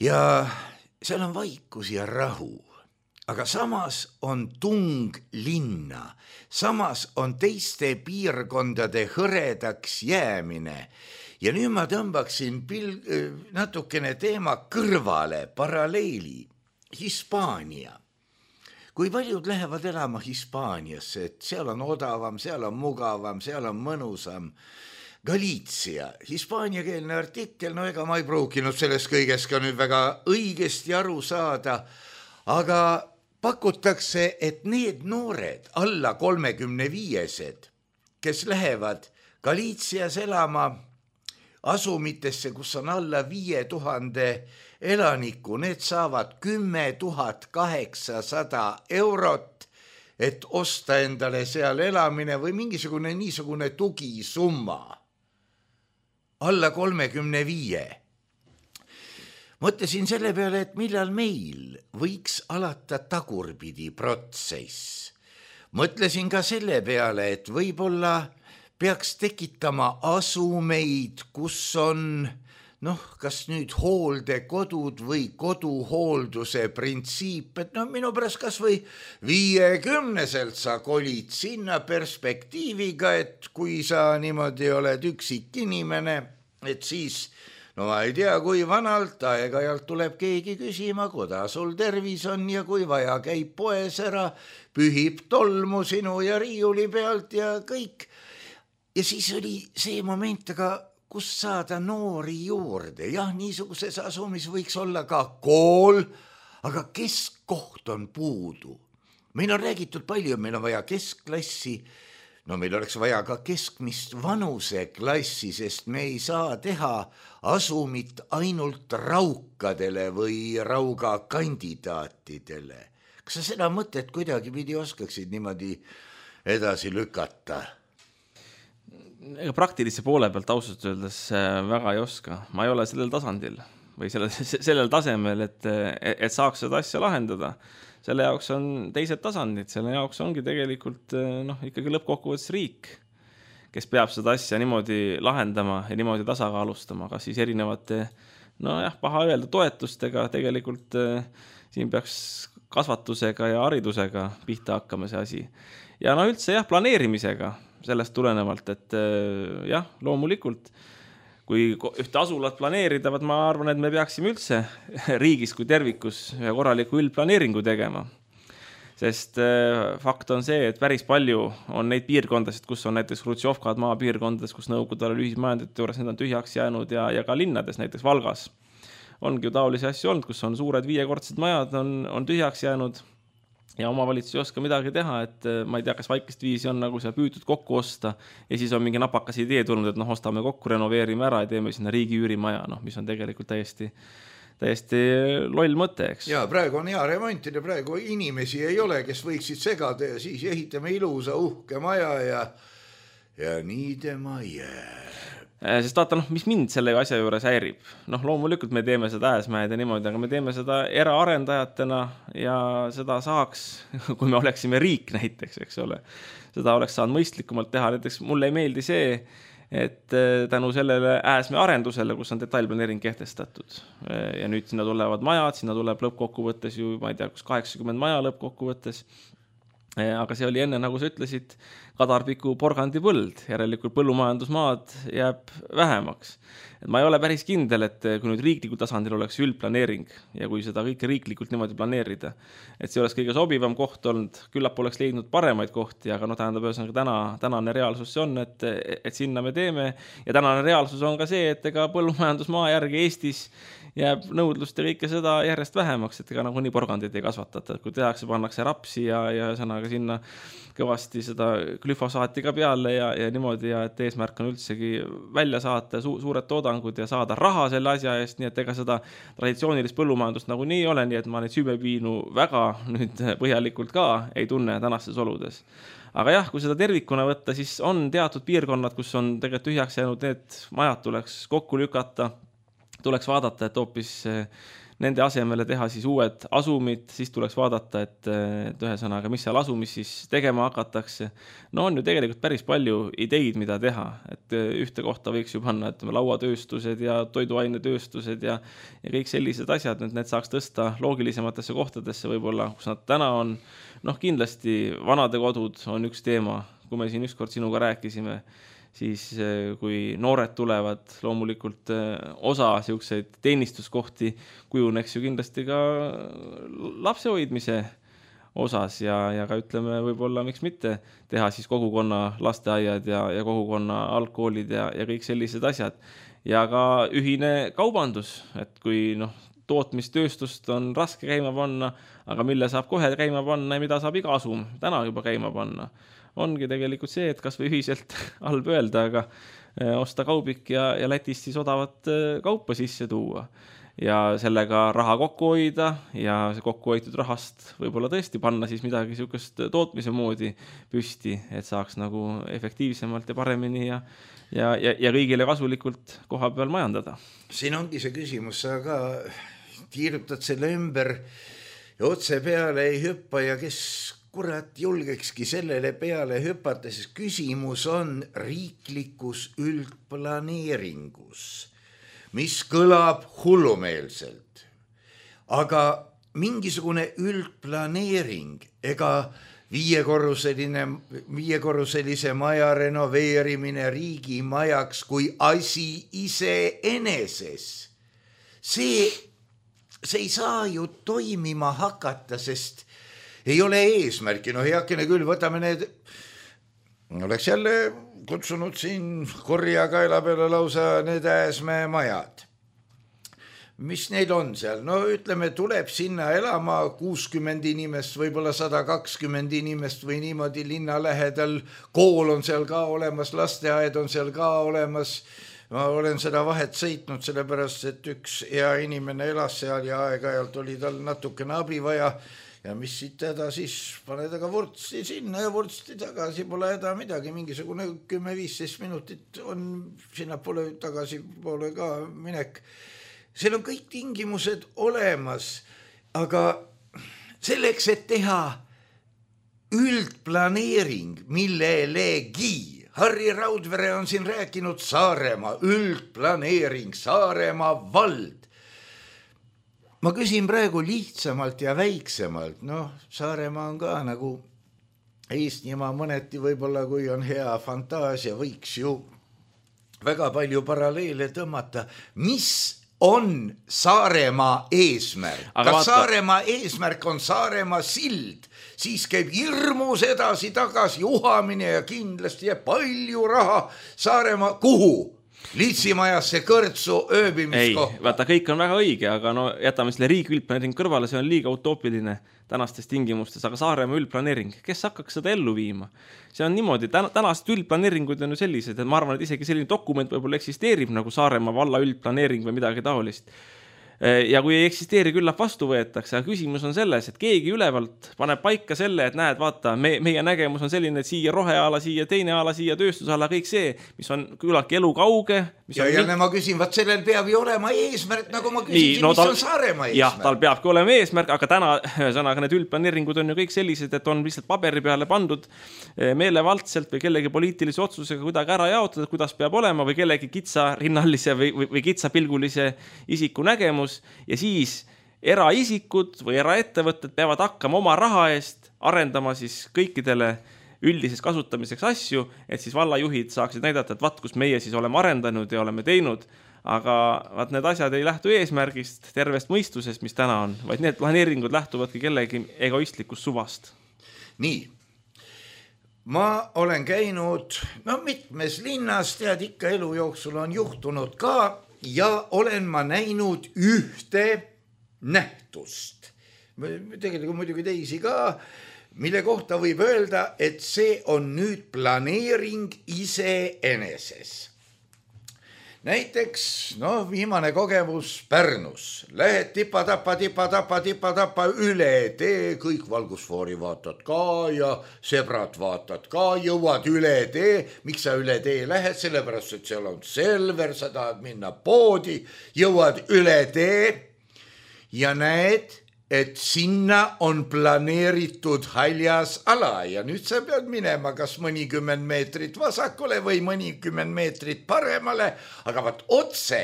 Ja seal on vaikus ja rahu, aga samas on tung linna, samas on teiste piirkondade hõredaks jäämine. Ja nüüd ma tõmbaksin natukene teema kõrvale, paralleeli, Hispaania. Kui paljud lähevad elama Hispaaniasse, et seal on odavam, seal on mugavam, seal on mõnusam. Galiitsia, hispaaniakeelne artikkel, ega ma ei pruukinud sellest kõigest ka nüüd väga õigesti aru saada, aga pakutakse, et need noored, alla 35-sed, kes lähevad Galiitsias elama asumitesse, kus on alla 5000 elaniku, need saavad 10 800 €, et osta endale seal elamine või mingisugune niisugune tugisumma. Alla 35. Mõtlesin selle peale, et millal meil võiks alata tagurpidi protsess. Mõtlesin ka selle peale, et võib-olla peaks tekitama asumeid, kus on kas nüüd hooldekodud või koduhoolduse printsiip, et minu pärast kas või 50-selt sa kolid sinna perspektiiviga, et kui sa niimoodi oled üksik inimene, et siis, ma ei tea, kui vanalt aeg-ajalt tuleb keegi küsima, kuidas sul tervis on ja kui vaja käib poes ära, pühib tolmu sinu ja riiuli pealt ja kõik. Ja siis oli see moment, aga kus saada noori juurde. Jah, niisuguses asumis võiks olla ka kool, aga keskkoht on puudu. Meil on räägitud palju, meil on vaja keskklassi, meil oleks vaja ka keskmist vanuseklassi, sest me ei saa teha asumit ainult raukadele või raugakandidaatidele. Kas sa seda mõtet kuidagi pidi oskaksid niimoodi edasi lükata? Ega praktilise poole pealt ausalt öeldes väga ei oska. Ma ei ole sellel tasandil või sellel tasemel, et saaks seda asja lahendada. selle jaoks on teised tasandid, selle jaoks ongi tegelikult ikkagi lõppkokkuvõttes riik, kes peab seda asja niimoodi lahendama ja niimoodi tasakaalustama, kas siis erinevate, paha öelda toetustega, tegelikult siin peaks kasvatusega ja haridusega pihta hakkama see asi. Ja üldse planeerimisega sellest tulenevalt, et loomulikult, kui ühte asulat planeerida, ma arvan, et me peaksime üldse riigis kui tervikus ühe korraliku üldplaneeringu tegema. Sest fakt on see, et päris palju on neid piirkondasid, kus on näiteks Hrutšovkad maapiirkondades, kus nõukogude ajal ühismajandite juures need on tühjaks jäänud ja ka linnades, näiteks Valgas. Ongi ju taolisi asju olnud, kus on suured 5-kordsed majad, on tühjaks jäänud ja omavalitsus ei oska midagi teha, et ma ei tea, kas vaikest viisi on nagu seal püütud kokku osta ja siis on mingi napakas idee tulnud, et ostame kokku, renoveerime ära ja teeme sinna riigi üürimaja, mis on tegelikult täiesti loll mõte, eks. Ja praegu on hea remontida, praegu inimesi ei ole, kes võiksid segada ja siis ehitame ilusa uhke maja ja nii tema jääb. Sest vaata, mis mind selle asja juures häirib. Loomulikult me teeme seda Ääsmäed ja niimoodi, aga me teeme seda eraarendajatena ja seda saaks, kui me oleksime riik näiteks, eks ole. Seda oleks saanud mõistlikumalt teha. Näiteks mulle ei meeldi see, et tänu sellele Ääsmäe arendusele, kus on detailplaneering kehtestatud. Ja nüüd sinna tulevad majad, sinna tuleb lõppkokkuvõttes ju, ma ei tea, kus 80 maja lõppkokkuvõttes. Aga see oli enne, nagu sa ütlesid, Kadarpiku porgandi põld, järelikult põllumajandusmaad jääb vähemaks. Et ma ei ole päris kindel, et kui nüüd riiklikul tasandil oleks üldplaneering ja kui seda kõike riiklikult niimoodi planeerida, et see oleks kõige sobivam koht olnud, küllap oleks leidnud paremaid kohti, aga tähendab, tänane reaalsus see on, et sinna me teeme ja tänane reaalsus on ka see, et ega põllumajandusmaa järgi Eestis jääb nõudlust ja kõike seda järjest vähemaks, et ega nii porgandid ei kasvatata, et kui tehakse, pannakse rapsi ja sõnaga sinna kõvasti seda glüfosaati ka peale ja niimoodi ja et eesmärk on üldsegi välja saata suured toodangud ja saada raha selle asja eest, nii et ega seda traditsioonilist põllumajandust nagu nii ei ole, nii et ma neid süümepiinu väga nüüd põhjalikult ka ei tunne tänastes oludes. Aga jah, kui seda tervikuna võtta, siis on teatud piirkonnad, kus on tegelikult tühjaks jäänud, need majad tuleks kokku lükata, tuleks vaadata, et hoopis nende asemele teha siis uued asumid, siis tuleks vaadata, et ühesõnaga, mis seal asumis siis tegema hakatakse. On ju tegelikult päris palju ideid, mida teha, et ühte kohta võiks ju panna, et lauatööstused ja toiduainetööstused ja kõik sellised asjad, need saaks tõsta loogilisematesse kohtadesse võib-olla, kus nad täna on. Kindlasti vanade kodud on üks teema, kui me siin ükskord sinuga rääkisime, siis kui noored tulevad, loomulikult osa siukseid teenistuskohti kujuneks ju kindlasti ka lapsehoidmise osas ja ka ütleme võib-olla miks mitte teha siis kogukonna lasteaiad ja kogukonna algkoolid ja kõik sellised asjad. Ja ka ühine kaubandus, et kui tootmistööstust on raske käima panna, aga mille saab kohe käima panna ja mida saab iga asum täna juba käima panna. Ongi tegelikult see, et kas või ühiselt halb öelda, aga osta kaubik ja Lätist siis odavat kaupa sisse tuua ja sellega raha kokku hoida ja see kokku hoitud rahast võib-olla tõesti panna siis midagi sihukest tootmise moodi püsti, et saaks nagu efektiivsemalt ja paremini ja kõigile kasulikult koha peal majandada. Siin ongi see küsimus, sa ka tiirutad selle ümber ja otse peale ei hüppa ja kes kurat julgekski sellele peale hüpata, sest küsimus on riiklikus üldplaneeringus, mis kõlab hullumeelselt. Aga mingisugune üldplaneering ega viiekorruselise maja renoveerimine riigimajaks kui asi iseeneses, see ei saa ju toimima hakata, sest ei ole eesmärki, heakene küll, võtame need, oleks jälle kutsunud siin korjakaela peale lausa need Ääsmäe majad. Mis neil on seal? Ütleme, tuleb sinna elama 60 inimest, võib-olla 120 inimest või niimoodi linna lähedal, kool on seal ka olemas, lasteaed on seal ka olemas. Ma olen seda vahet sõitnud, sellepärast, et üks hea inimene elas seal ja aeg-ajalt oli tal natukene abi vaja. Ja mis siit teda siis, pane taga vurtsti sinna ja vurtsti tagasi, pole häda midagi, mingisugune 10-15 minutit on sinna tagasi poole ka minek. Seal on kõik tingimused olemas, aga selleks, et teha üldplaneering, millelegi. Harri Raudvere on siin rääkinud Saaremaa üldplaneering, Saaremaa vald. Ma küsin praegu lihtsamalt ja väiksemalt. Saaremaa on ka nagu Eestimaa mõneti võib-olla, kui on hea fantaasia, võiks ju väga palju paralleele tõmmata. Mis on Saaremaa eesmärk? Kas Saaremaa eesmärk on Saaremaa sild? Siis käib hirmus edasi-tagasi uhamine ja kindlasti jääb palju raha Saaremaa kuhu? Liitsimajasse kõrtsu ööbimiskohta. Vaata, kõik on väga õige, aga jätame selle riigi üldplaneering kõrvale, see on liiga utoopiline tänastes tingimustes, aga Saaremaa üldplaneering, kes hakkaks seda ellu viima? See on niimoodi, tänased üldplaneeringud on ju sellised, et ma arvan, et isegi selline dokument võib-olla eksisteerib nagu Saaremaa valla üldplaneering või midagi taolist. Ja kui ei eksisteeri, küllap vastu võetakse, aga küsimus on selles, et keegi ülevalt paneb paika selle, et näed, vaata, meie nägemus on selline, et siia roheala, siia teine ala, siia tööstusala, kõik see, mis on küllaltki elukauge. Ja ma küsin, vaat sellel peab ju olema eesmärk, nagu ma küsisin, mis on Saaremaa eesmärk. Jah, tal peabki olema eesmärk, aga täna sõnaga need üldplaneeringud on ju kõik sellised, et on lihtsalt paberi peale pandud meelevaldselt või kellegi poliitilise otsusega kuidagi ära jaotada, kuidas peab olema või kellegi kitsa rinnalise või kitsapilgulise isiku nägemus. Ja siis eraisikud või eraettevõtted peavad hakkama oma raha eest arendama siis kõikidele üldiseks kasutamiseks asju, et siis vallajuhid saaksid näidata, et vaat, kus meie siis oleme arendanud ja oleme teinud, aga vaat need asjad ei lähtu eesmärgist, tervest mõistusest, mis täna on, vaid need planeeringud lähtuvadki kellegi egoistlikust suvast. Nii, ma olen käinud mitmes linnas, tead, ikka elu jooksul on juhtunud ka, ja olen ma näinud ühte nähtust. Tegelikult muidugi teisi ka, mille kohta võib öelda, et see on nüüd planeering iseeneses. Näiteks, viimane kogemus Pärnus. Lähed tipa-tapa üle tee, kõik valgusfoori vaatad ka ja sebrad vaatad ka, jõuad üle tee. Miks sa üle tee lähed? Sellepärast, et seal on Selver, sa tahad minna poodi, jõuad üle tee ja näed, et sinna on planeeritud haljas ala ja nüüd sa pead minema kas mõnikümmend meetrit vasakule või mõnikümmend meetrit paremale, aga vaat otse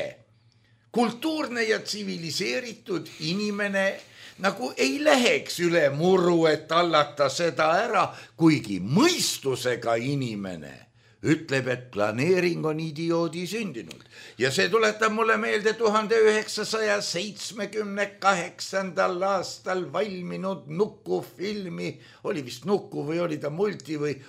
kultuurne ja tsiviliseeritud inimene nagu ei läheks üle muru, et tallata seda ära, kuigi mõistusega inimene ütleb, et planeering on idioodi sündinud. Ja see tuletab mulle meelde 1978. aastal valminud Nuku-filmi, oli vist Nuku või oli ta multi või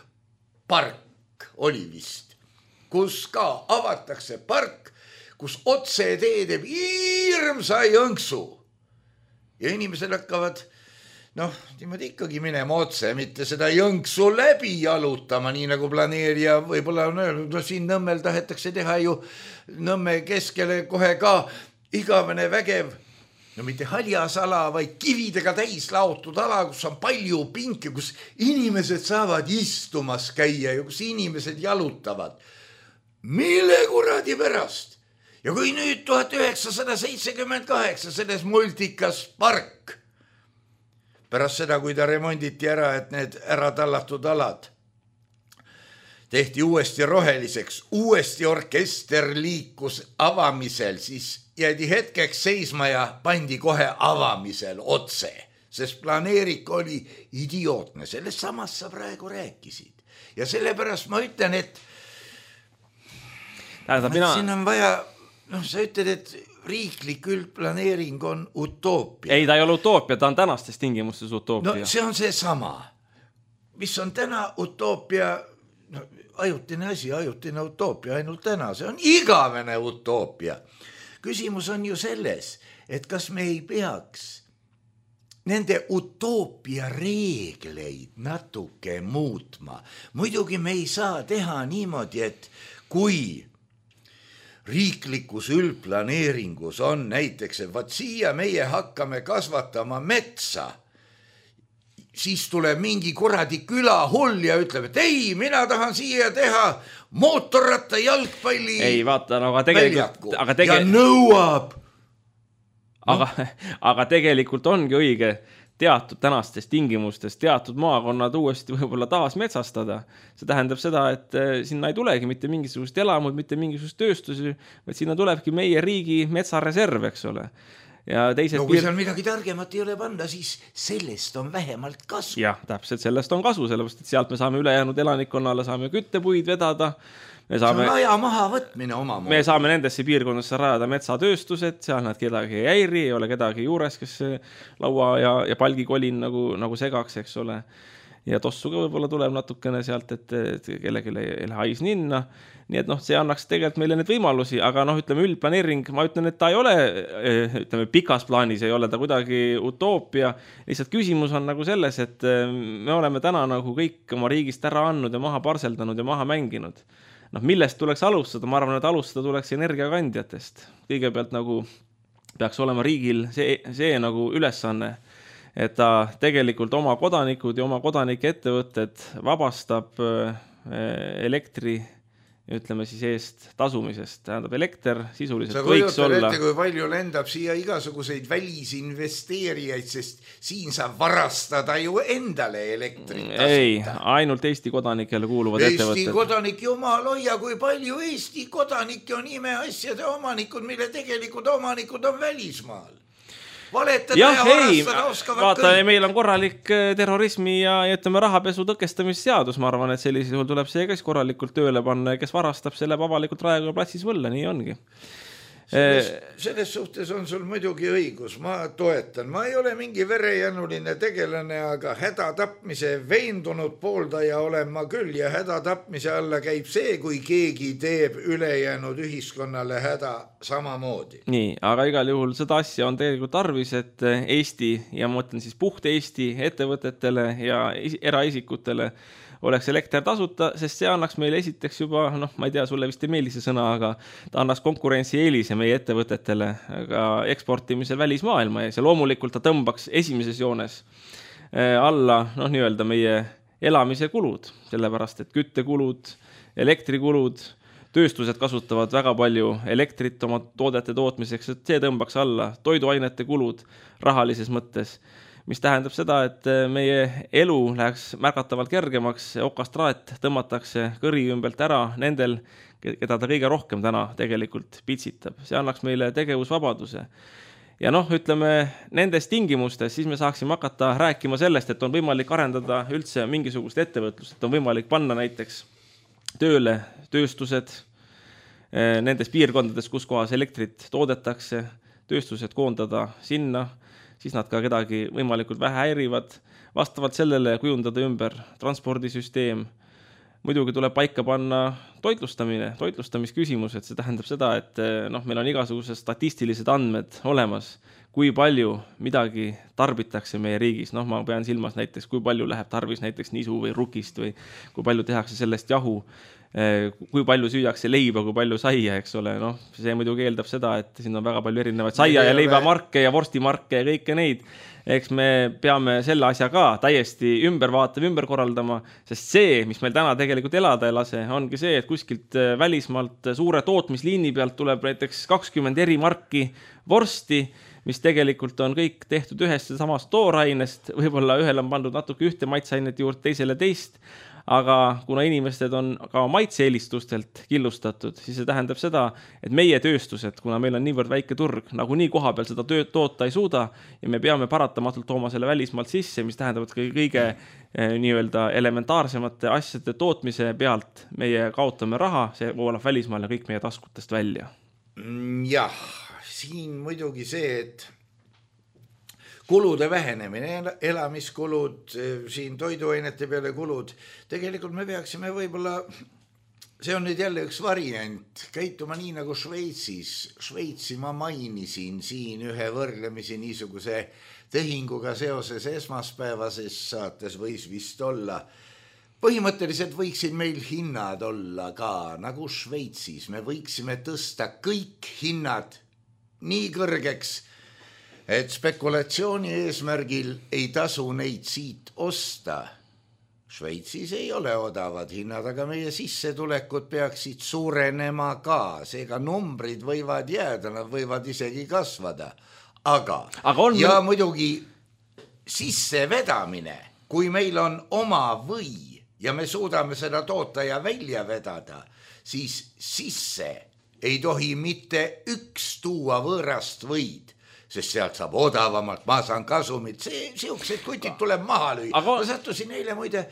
park oli vist, kus ka avatakse park, kus otse tee teeb hirmsa jõnksu. Ja inimesed hakkavad niimoodi ikkagi minema otse, mitte seda jõnksu läbi jalutama, nii nagu planeerija võib-olla on öelnud, siin Nõmmel tahetakse teha ju Nõmme keskele kohe ka igavene vägev, mitte haljas ala, vaid kividega täis laotud ala, kus on palju pinke, kus inimesed saavad istumas käia ja kus inimesed jalutavad. Mille kuradi pärast? Ja kui nüüd 1978 selles multikas park, pärast seda, kui ta remonditi ära, et need ära tallatud alad tehti uuesti roheliseks, uuesti orkester liikus avamisel, siis jäädi hetkeks seisma ja pandi kohe avamisel otse, sest planeerik oli idiootne. Sellest samast sa praegu rääkisid. Ja sellepärast ma ütlen, et siin on vaja, sa ütled, et riiklik üldplaneering on utoopia. Ei, ta ei ole utoopia, ta on tänastes tingimustes utoopia. See on see sama. Mis on täna utoopia, ajutine asi, ajutine utoopia ainult täna. See on igavene utoopia. Küsimus on ju selles, et kas me ei peaks nende utoopia reegleid natuke muutma. Muidugi me ei saa teha niimoodi, et kui riiklikus üldplaneeringus on näiteks, et vaat siia meie hakkame kasvatama metsa, siis tuleb mingi kuradi külahull ja ütleb, et ei, mina tahan siia teha mootorratta jalgpalli väljaku ja nõuab. Aga tegelikult ongi õige teatud tänastes tingimustes teatud maakonnad uuesti võib-olla taas metsastada. See tähendab seda, et sinna ei tulegi mitte mingisugust elamud, mitte mingisugust tööstusi, vaid sinna tulebki meie riigi metsareserv, eks ole. Ja teised no kui seal midagi targemat ei ole panna, siis sellest on vähemalt kasu. Jah, täpselt, sellest on kasu, sellepärast, et sealt me saame ülejäänud elanikkonnale, saame küttepuid vedada. See on aja maha võtmine omamoodi. Me saame nendesse piirkondadesse rajada metsatööstused, seal nad kedagi ei häiri, ei ole kedagi juures, kes laua ja palgikolin nagu segaks, eks ole. Ja tossu ka võib-olla tuleb natukene sealt, et kellegi ei lähe hais ninna. Nii et see annaks tegelikult meile need võimalusi, aga ütleme üldplaneering, ma ütlen, et ta ei ole, ütleme pikas plaanis ei ole ta kuidagi utoopia. Lihtsalt küsimus on nagu selles, et me oleme täna nagu kõik oma riigist ära andnud ja maha parseldanud ja maha mänginud. Millest tuleks alustada? Ma arvan, et alustada tuleks energiakandjatest. Kõigepealt nagu peaks olema riigil see nagu ülesanne, et ta tegelikult oma kodanikud ja oma kodanike ettevõtted vabastab elektri, ütleme siis eest tasumisest. Tähendab, elekter sisuliselt võiks olla... Ette, kui palju lendab siia igasuguseid välisinvesteerijaid, sest siin saab varastada ju endale elektrit tasuta. Ei, ainult Eesti kodanikele kuuluvad ettevõtted. Eesti kodanik, jumal hoia, kui palju Eesti kodanikke on imeasjade omanikud, mille tegelikult omanikud on välismaal. Valetada ja varastada oskavad vaata, kõik. Meil on korralik terrorismi ja ütleme rahapesu tõkestamisseadus. Ma arvan, et sellisel juhul tuleb see kes korralikult tööle panna ja kes varastab selle avalikult Raekoja platsis võlla, nii ongi. Selles suhtes on sul muidugi õigus, ma toetan. Ma ei ole mingi verejänuline tegelane, aga hädatapmise veendunud pooldaja olen ma küll ja hädatapmise alla käib see, kui keegi teeb ülejäänud ühiskonnale häda samamoodi. Nii, aga igal juhul seda asja on tegelikult tarvis, et Eesti ja ma mõtlen siis puht Eesti ettevõtetele ja eraisikutele oleks elekter tasuta, sest see annaks meile esiteks juba, ma ei tea, sulle vist ei meeldi see sõna, aga ta annaks konkurentsi eelise meie ettevõtetele ka eksportimisel välismaailma ja loomulikult ta tõmbaks esimeses joones alla, nii-öelda meie elamise kulud, sellepärast, et küttekulud, elektrikulud, tööstused kasutavad väga palju elektrit oma toodete tootmiseks, et see tõmbaks alla toiduainete kulud rahalises mõttes, mis tähendab seda, et meie elu läheks märgatavalt kergemaks, okastraat tõmmatakse kõri ümbelt ära nendel, keda ta kõige rohkem täna tegelikult pitsitab. See annaks meile tegevusvabaduse. Ja ütleme, nendes tingimustes siis me saaksime hakata rääkima sellest, et on võimalik arendada üldse mingisugust ettevõtlust, et on võimalik panna näiteks tööle tööstused nendes piirkondades, kus kohas elektrit toodetakse, tööstused koondada sinna, siis nad ka kedagi võimalikult vähe häirivad, vastavalt sellele kujundada ümber transpordisüsteem. Muidugi tuleb paika panna toitlustamisküsimus, et see tähendab seda, et meil on igasugused statistilised andmed olemas, kui palju midagi tarbitakse meie riigis. Ma pean silmas näiteks, kui palju läheb tarvis näiteks nisu või rukist või kui palju tehakse sellest jahu, kui palju süüakse leiba, kui palju saia, eks ole. See muidugi eeldab seda, et siin on väga palju erinevaid saia ja leibamarke ja vorstimarke ja kõike neid. Eks me peame selle asja ka täiesti ümber vaatama, ümber korraldama, sest see, mis meil täna tegelikult elada ei lase, ongi see, et kuskilt välismaalt suure tootmisliini pealt tuleb näiteks 20 eri marki vorsti, mis tegelikult on kõik tehtud ühest ja samast toorainest, võib-olla ühel on pandud natuke ühte maitsainet juurde, teisele teist, aga kuna inimesed on ka maitseelistustelt killustatud, siis see tähendab seda, et meie tööstused, kuna meil on niivõrd väike turg, nagu nii koha peal seda tööd toota ei suuda ja me peame paratamatult tooma selle välismaalt sisse, mis tähendab, et kõige nii-öelda elementaarsemate asjade tootmise pealt meie kaotame raha, see voolab välismaal ja kõik meie taskutest välja. Jah, siin muidugi see, et kulude vähenemine, elamiskulud, siin toiduainete peale kulud. Tegelikult me peaksime võib-olla, see on nüüd jälle üks variant, käituma nii nagu Šveitsis. Šveitsi ma mainisin siin ühe võrdlemisi niisuguse tehinguga seoses esmaspäevases saates võis vist olla. Põhimõtteliselt võiksid meil hinnad olla ka nagu Šveitsis. Me võiksime tõsta kõik hinnad nii kõrgeks, et spekulatsiooni eesmärgil ei tasu neid siit osta. Šveitsis ei ole odavad hinnad, aga meie sissetulekud peaksid suurenema ka. Seega numbrid võivad jääda, nad võivad isegi kasvada. Aga ja muidugi sissevedamine, kui meil on oma või ja me suudame seda toota ja välja vedada, siis sisse ei tohi mitte üks tuua võõrast võid, sest sealt saab odavamalt, ma saan kasumit, siuksed kutid tuleb maha lüüa. Ma sattusin eile muide,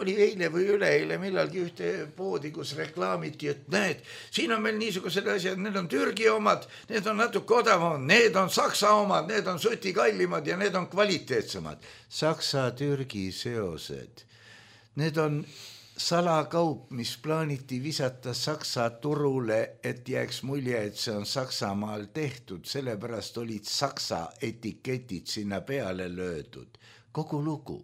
oli eile või üleeile millalgi ühte poodi, kus reklaamiti, et näed, siin on meil niisugused asjad, need on Türgi omad, need on natuke odavamad, need on Saksa omad, need on suti kallimad ja need on kvaliteetsemad. Saksa-Türgi seosed, need on salakaup, mis plaaniti visata Saksa turule, et jääks mulje, et see on Saksamaal tehtud, sellepärast olid Saksa etiketid sinna peale löödud. Kogu lugu.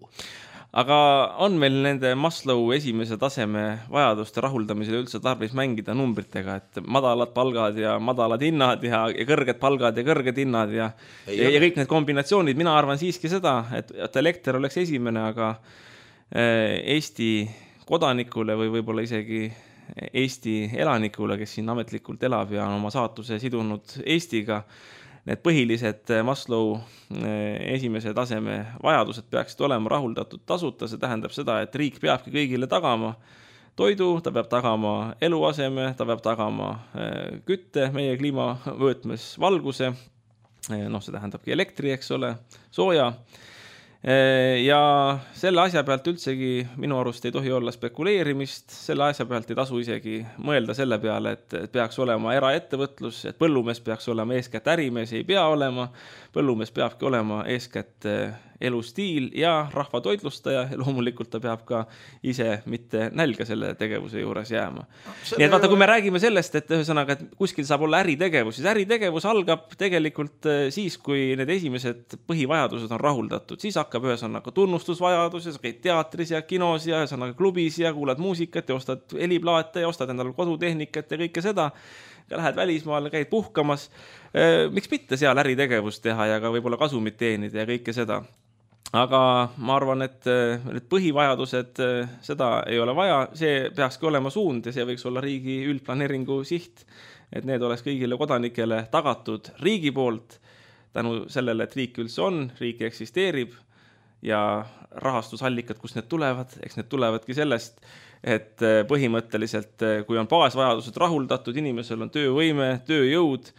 Aga on meil nende Maslow esimese taseme vajaduste rahuldamisel üldse tarvis mängida numbritega, et madalad palgad ja madalad hinnad ja kõrged palgad ja kõrged hinnad ja kõik need kombinatsioonid, mina arvan siiski seda, et elekter oleks esimene, aga Eesti kodanikule või võib-olla isegi Eesti elanikule, kes siin ametlikult elab ja on oma saatuse sidunud Eestiga, need põhilised Maslow esimese taseme vajadused peaksid olema rahuldatud tasuta, see tähendab seda, et riik peabki kõigile tagama toidu, ta peab tagama eluaseme, ta peab tagama kütte, meie kliimavõtmes valguse, see tähendabki elektri, eks ole, sooja. Ja selle asja pealt üldsegi minu arust ei tohi olla spekuleerimist, selle asja pealt ei tasu isegi mõelda selle peale, et peaks olema eraettevõtlus, et põllumees peaks olema eeskätt ärimees, ei pea olema, põllumees peabki olema eeskätt elustiil ja rahva toitlustaja ja loomulikult ta peab ka ise mitte nälga selle tegevuse juures jääma. Nii et vaata, kui me räägime sellest, et ühesõnaga, et kuskil saab olla äritegevus, siis äritegevus algab tegelikult siis, kui need esimesed põhivajadused on rahuldatud, siis hakkab ühesõnaga tunnustusvajadus ja sa käid teatris ja kinos ja ühesõnaga klubis ja kuulad muusikat ja ostad heliplaate ja ostad endale kodutehnikat ja kõike seda ja lähed välismaale, käid puhkamas. Miks mitte seal äritegevust teha ja ka võib-olla kasumit teenida ja kõike seda. Aga ma arvan, et need põhivajadused, seda ei ole vaja, see peakski olema suund ja see võiks olla riigi üldplaneeringu siht, et need oleks kõigile kodanikele tagatud riigi poolt tänu sellele, et riik üldse on, riik eksisteerib ja rahastusallikad, kus need tulevad, eks need tulevadki sellest, et põhimõtteliselt, kui on baasvajadused rahuldatud, inimesel on töövõime, tööjõud,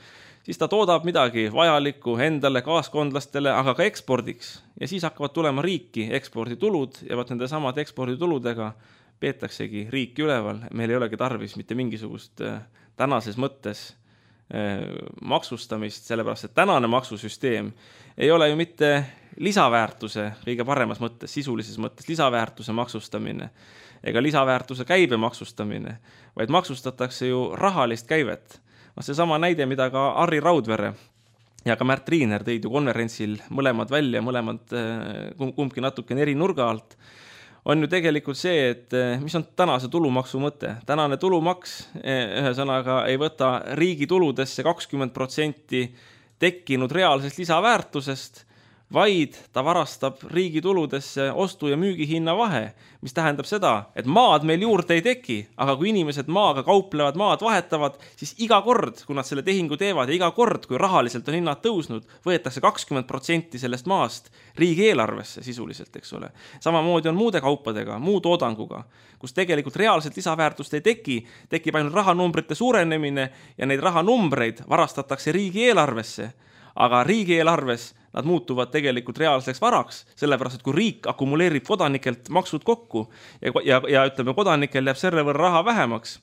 siis ta toodab midagi vajalikku endale, kaaskondlastele, aga ka ekspordiks. Ja siis hakkavad tulema riiki eksporditulud ja võt nende samad ekspordituludega peetaksegi riiki üleval. Meil ei olegi tarvis mitte mingisugust tänases mõttes maksustamist, sellepärast, et tänane maksusüsteem ei ole ju mitte lisaväärtuse kõige paremas mõttes, sisulises mõttes lisaväärtuse maksustamine ega lisaväärtuse käibe maksustamine, vaid maksustatakse ju rahalist käivet. See sama näide, mida ka Harri Raudvere ja ka Märt Riiner tõid ju konverentsil mõlemad välja, mõlemad kumbki natuke eri nurga alt, on ju tegelikult see, et mis on tänase tulumaksu mõte. Tänane tulumaks ühesõnaga ei võta riigi tuludesse 20% tekkinud reaalsest lisaväärtusest, vaid ta varastab riigi tuludesse ostu- ja müügihinna vahe, mis tähendab seda, et maad meil juurde ei teki, aga kui inimesed maaga kauplevad, maad vahetavad, siis iga kord, kui nad selle tehingu teevad ja iga kord, kui rahaliselt on hinnad tõusnud, võetakse 20% sellest maast riigieelarvesse sisuliselt, eks ole. Samamoodi on muude kaupadega, muu toodanguga, kus tegelikult reaalselt lisaväärtust ei teki, tekib ainult rahanumbrite suurenemine ja neid rahanumbreid varastatakse riigieelarvesse, aga riigieelarves nad muutuvad tegelikult reaalseks varaks, sellepärast, et kui riik akumuleerib kodanikelt maksud kokku ja ütleme, kodanikel jääb selle võrra raha vähemaks,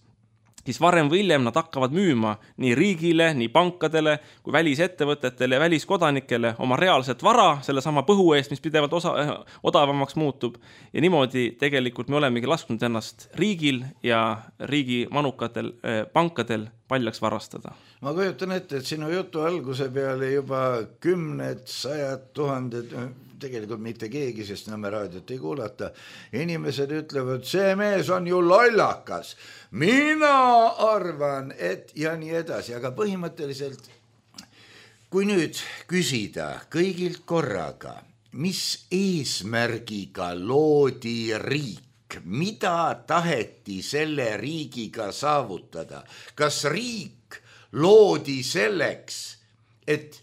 siis varem või hiljem nad hakkavad müüma nii riigile, nii pankadele, kui välisettevõtetele ja väliskodanikele oma reaalset vara, selle sama põhu eest, mis pidevalt odavamaks muutub. Ja niimoodi tegelikult me olemegi lasknud ennast riigil ja riigi manukatel pankadel paljaks varastada. Ma kujutan ette, et sinu jutu alguse peale juba 10, 100 000, tegelikult mitte keegi, sest Nõmme raadiot ei kuulata. Inimesed ütlevad, see mees on ju lollakas. Mina arvan, et ja nii edasi, aga põhimõtteliselt, kui nüüd küsida kõigilt korraga, mis eesmärgiga loodi riik, mida taheti selle riigiga saavutada, kas riik loodi selleks, et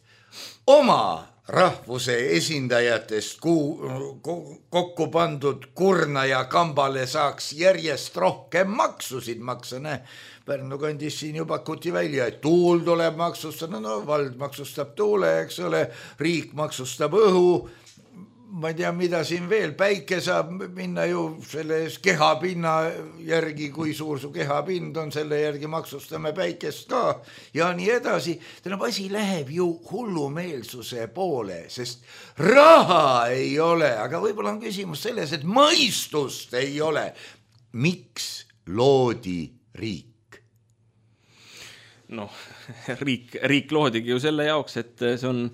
oma rahvuse esindajatest kokku pandud kurna ja kambale saaks järjest rohkem maksusid maksa. Pärnu kandis siin ju pakuti välja, et tuul tuleb maksustada, no vald maksustab tuule, eks ole, riik maksustab õhu, ma ei tea, mida siin veel, päike saab minna ju selle kehapinna järgi, kui suur su kehapind on, selle järgi maksustame päikest ka ja nii edasi. Tähendab, asi läheb ju hullumeelsuse poole, sest raha ei ole, aga võib-olla on küsimus selles, et mõistust ei ole. Miks loodi riik? Noh, riik loodigi ju selle jaoks, et see on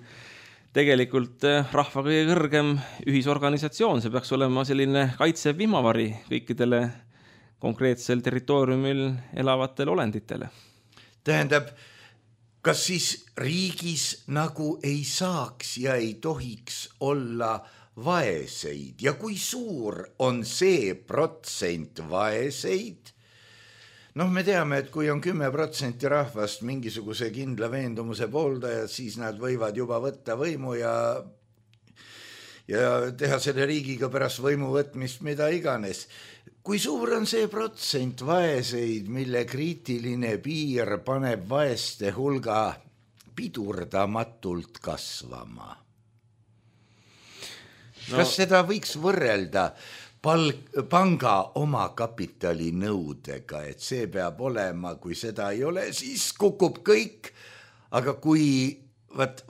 tegelikult rahva kõige kõrgem ühisorganisatsioon, see peaks olema selline kaitsev vihmavari kõikidele konkreetsel territooriumil elavatele olenditele. Tähendab, kas siis riigis nagu ei saaks ja ei tohiks olla vaeseid ja kui suur on see protsent vaeseid? Noh, me teame, et kui on 10% rahvast mingisuguse kindla veendumuse pooldajad, siis nad võivad juba võtta võimu ja teha selle riigiga pärast võimu võtmist mida iganes. Kui suur on see protsent vaeseid, mille kriitiline piir paneb vaeste hulga pidurdamatult kasvama? Kas seda võiks võrrelda panga omakapitali nõudega, et see peab olema, kui seda ei ole, siis kukub kõik, aga kui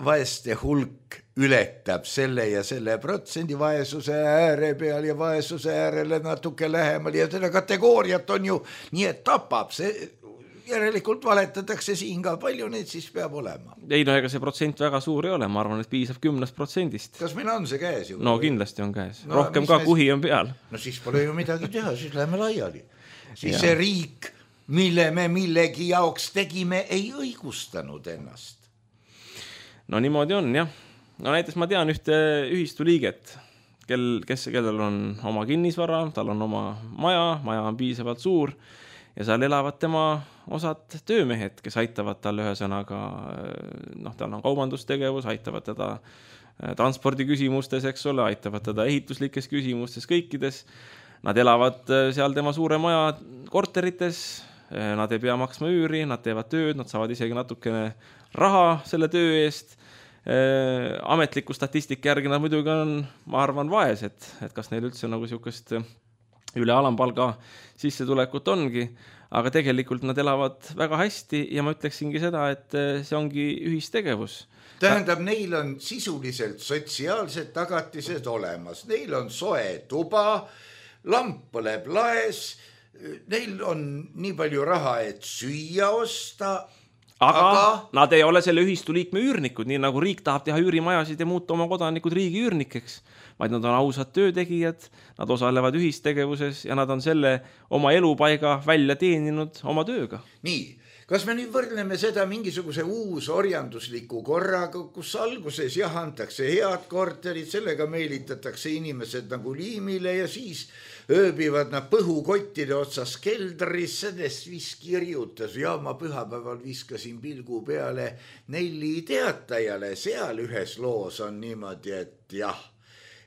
vaeste hulk ületab selle ja selle protsendi vaesuse ääre peal ja vaesuse äärele natuke lähemal ja selle kategooriat on ju nii, et tapab see, järelikult valetatakse siin ka, palju neid siis peab olema? Ei, no ega see protsent väga suur ei ole, ma arvan, et piisab 10%. Kas meil on see käes ju? No kindlasti on käes, rohkem ka kuhi on peal. No siis pole ju midagi teha, siis läheme laiali. Siis see riik, mille me millegi jaoks tegime, ei õigustanud ennast. No niimoodi on, jah. No näiteks ma tean ühte ühistu liiget, kellel on oma kinnisvara, tal on oma maja on piisavalt suur ja seal elavad tema osad töömehed, kes aitavad tal ühesõnaga, tal on kaubandustegevus, aitavad teda transpordiküsimustes, eks ole, aitavad teda ehituslikes küsimustes, kõikides. Nad elavad seal tema suure maja korterites, nad ei pea maksma üüri, nad teevad tööd, nad saavad isegi natukene raha selle töö eest. Ametliku statistika järgi nad muidugi on, ma arvan, vaesed, et kas neil üldse nagu niisugust üle alampalga sissetulekut ongi, aga tegelikult nad elavad väga hästi ja ma ütleksingi seda, et see ongi ühistegevus. Tähendab, neil on sisuliselt sotsiaalsed tagatised olemas, neil on soe tuba, lamp põleb laes, neil on nii palju raha, et süüa osta, aga nad ei ole selle ühistu liikme üürnikud, nii nagu riik tahab teha üürimajasid ja muuta oma kodanikud riigi üürnikeks, vaid nad on ausad töötegijad, nad osalevad ühistegevuses ja nad on selle oma elupaiga välja teeninud oma tööga. Nii, kas me nüüd võrdleme seda mingisuguse uus orjandusliku korraga, kus alguses antakse head korterid, sellega meelitatakse inimesed nagu liimile ja siis ööbivad nad põhukottide otsas keldris, sellest vis kirjutas, ma pühapäeval viskasin pilgu peale Nelli Teatajale, seal ühes loos on niimoodi, et jah,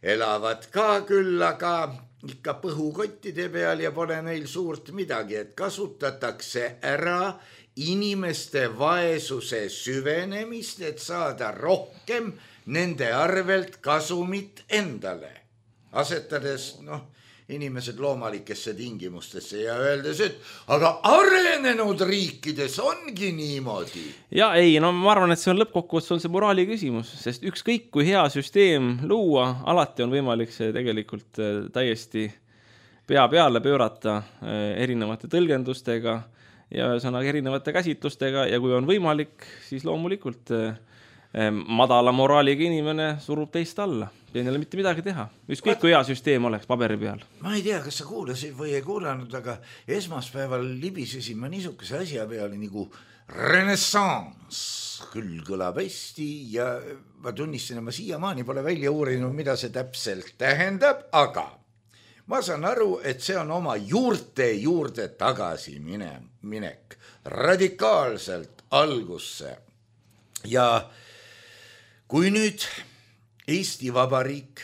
elavad ka küll, aga ikka põhukottide peal ja pole neil suurt midagi, et kasutatakse ära inimeste vaesuse süvenemist, et saada rohkem nende arvelt kasumit endale, asetades inimesed loomalikesse tingimustesse ja öeldes, et aga arenenud riikides ongi niimoodi. Ja ei, ma arvan, et see on lõppkokkuvõttes on see moraali küsimus, sest ükskõik kui hea süsteem luua, alati on võimalik see tegelikult täiesti pea peale pöörata erinevate tõlgendustega ja ühesõnaga erinevate käsitlustega ja kui on võimalik, siis loomulikult madala moraaliga inimene surub teist alla. Ei neile mitte midagi teha. Ükskõik kui hea süsteem oleks paberi peal. Ma ei tea, kas sa kuulasid või ei kuulanud, aga esmaspäeval libisesin ma niisuguse asja peale nagu Renaissance. Küll kõlab hästi ja ma tunnistan, ma siiamaani pole välja uurinud, mida see täpselt tähendab, aga ma saan aru, et see on oma juurde tagasi minek radikaalselt algusse. Ja kui nüüd Eesti Vabariik,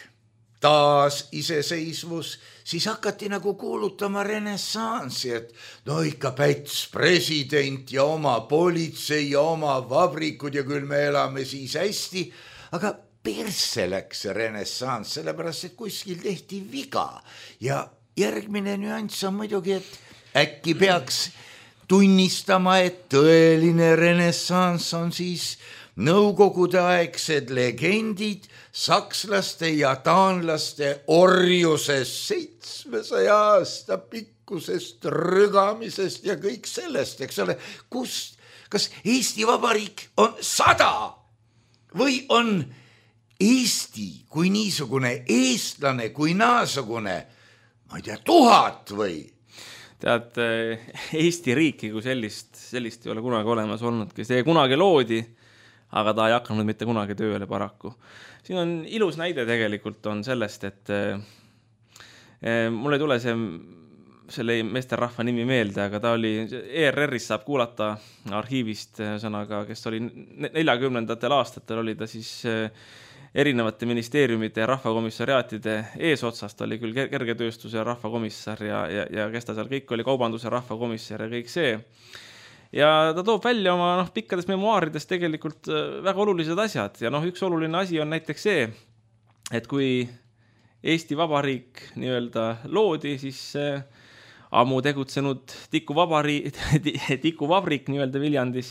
taas iseseisvus, siis hakati nagu kuulutama renessansi, et no ikka Päts president ja oma politsei ja oma vabrikud ja küll me elame siis hästi, aga persse läks see renessanss, sellepärast et kuskil tehti viga ja järgmine nüanss on muidugi, et äkki peaks tunnistama, et tõeline renessanss on siis nõukogudeaegsed legendid sakslaste ja taanlaste orjusest 700 aasta pikkusest rügamisest ja kõik sellest, eks ole, kas Eesti Vabariik on 100 või on Eesti kui niisugune eestlane kui naasugune, ma ei tea, 1000 või? Tead, Eesti riiki kui sellist ei ole kunagi olemas olnudki. See kunagi loodi, aga ta ei hakanud mitte kunagi tööle paraku. Siin on ilus näide tegelikult on sellest, et mul ei tule selle meesterrahva nimi meelde, aga ta oli, ERR-is saab kuulata arhiivist sõnaga, kes oli 40. aastatel oli ta siis erinevate ministeeriumite ja rahvakomissariaatide eesotsast, oli küll kergetööstuse rahvakomissar ja kes ta seal kõik oli, kaubanduse rahvakomissar ja kõik see. Ja ta toob välja oma pikkades memuaarides tegelikult väga olulised asjad ja üks oluline asi on näiteks see, et kui Eesti Vabariik nii-öelda loodi, siis ammu tegutsenud tikuvabrik nii-öelda Viljandis,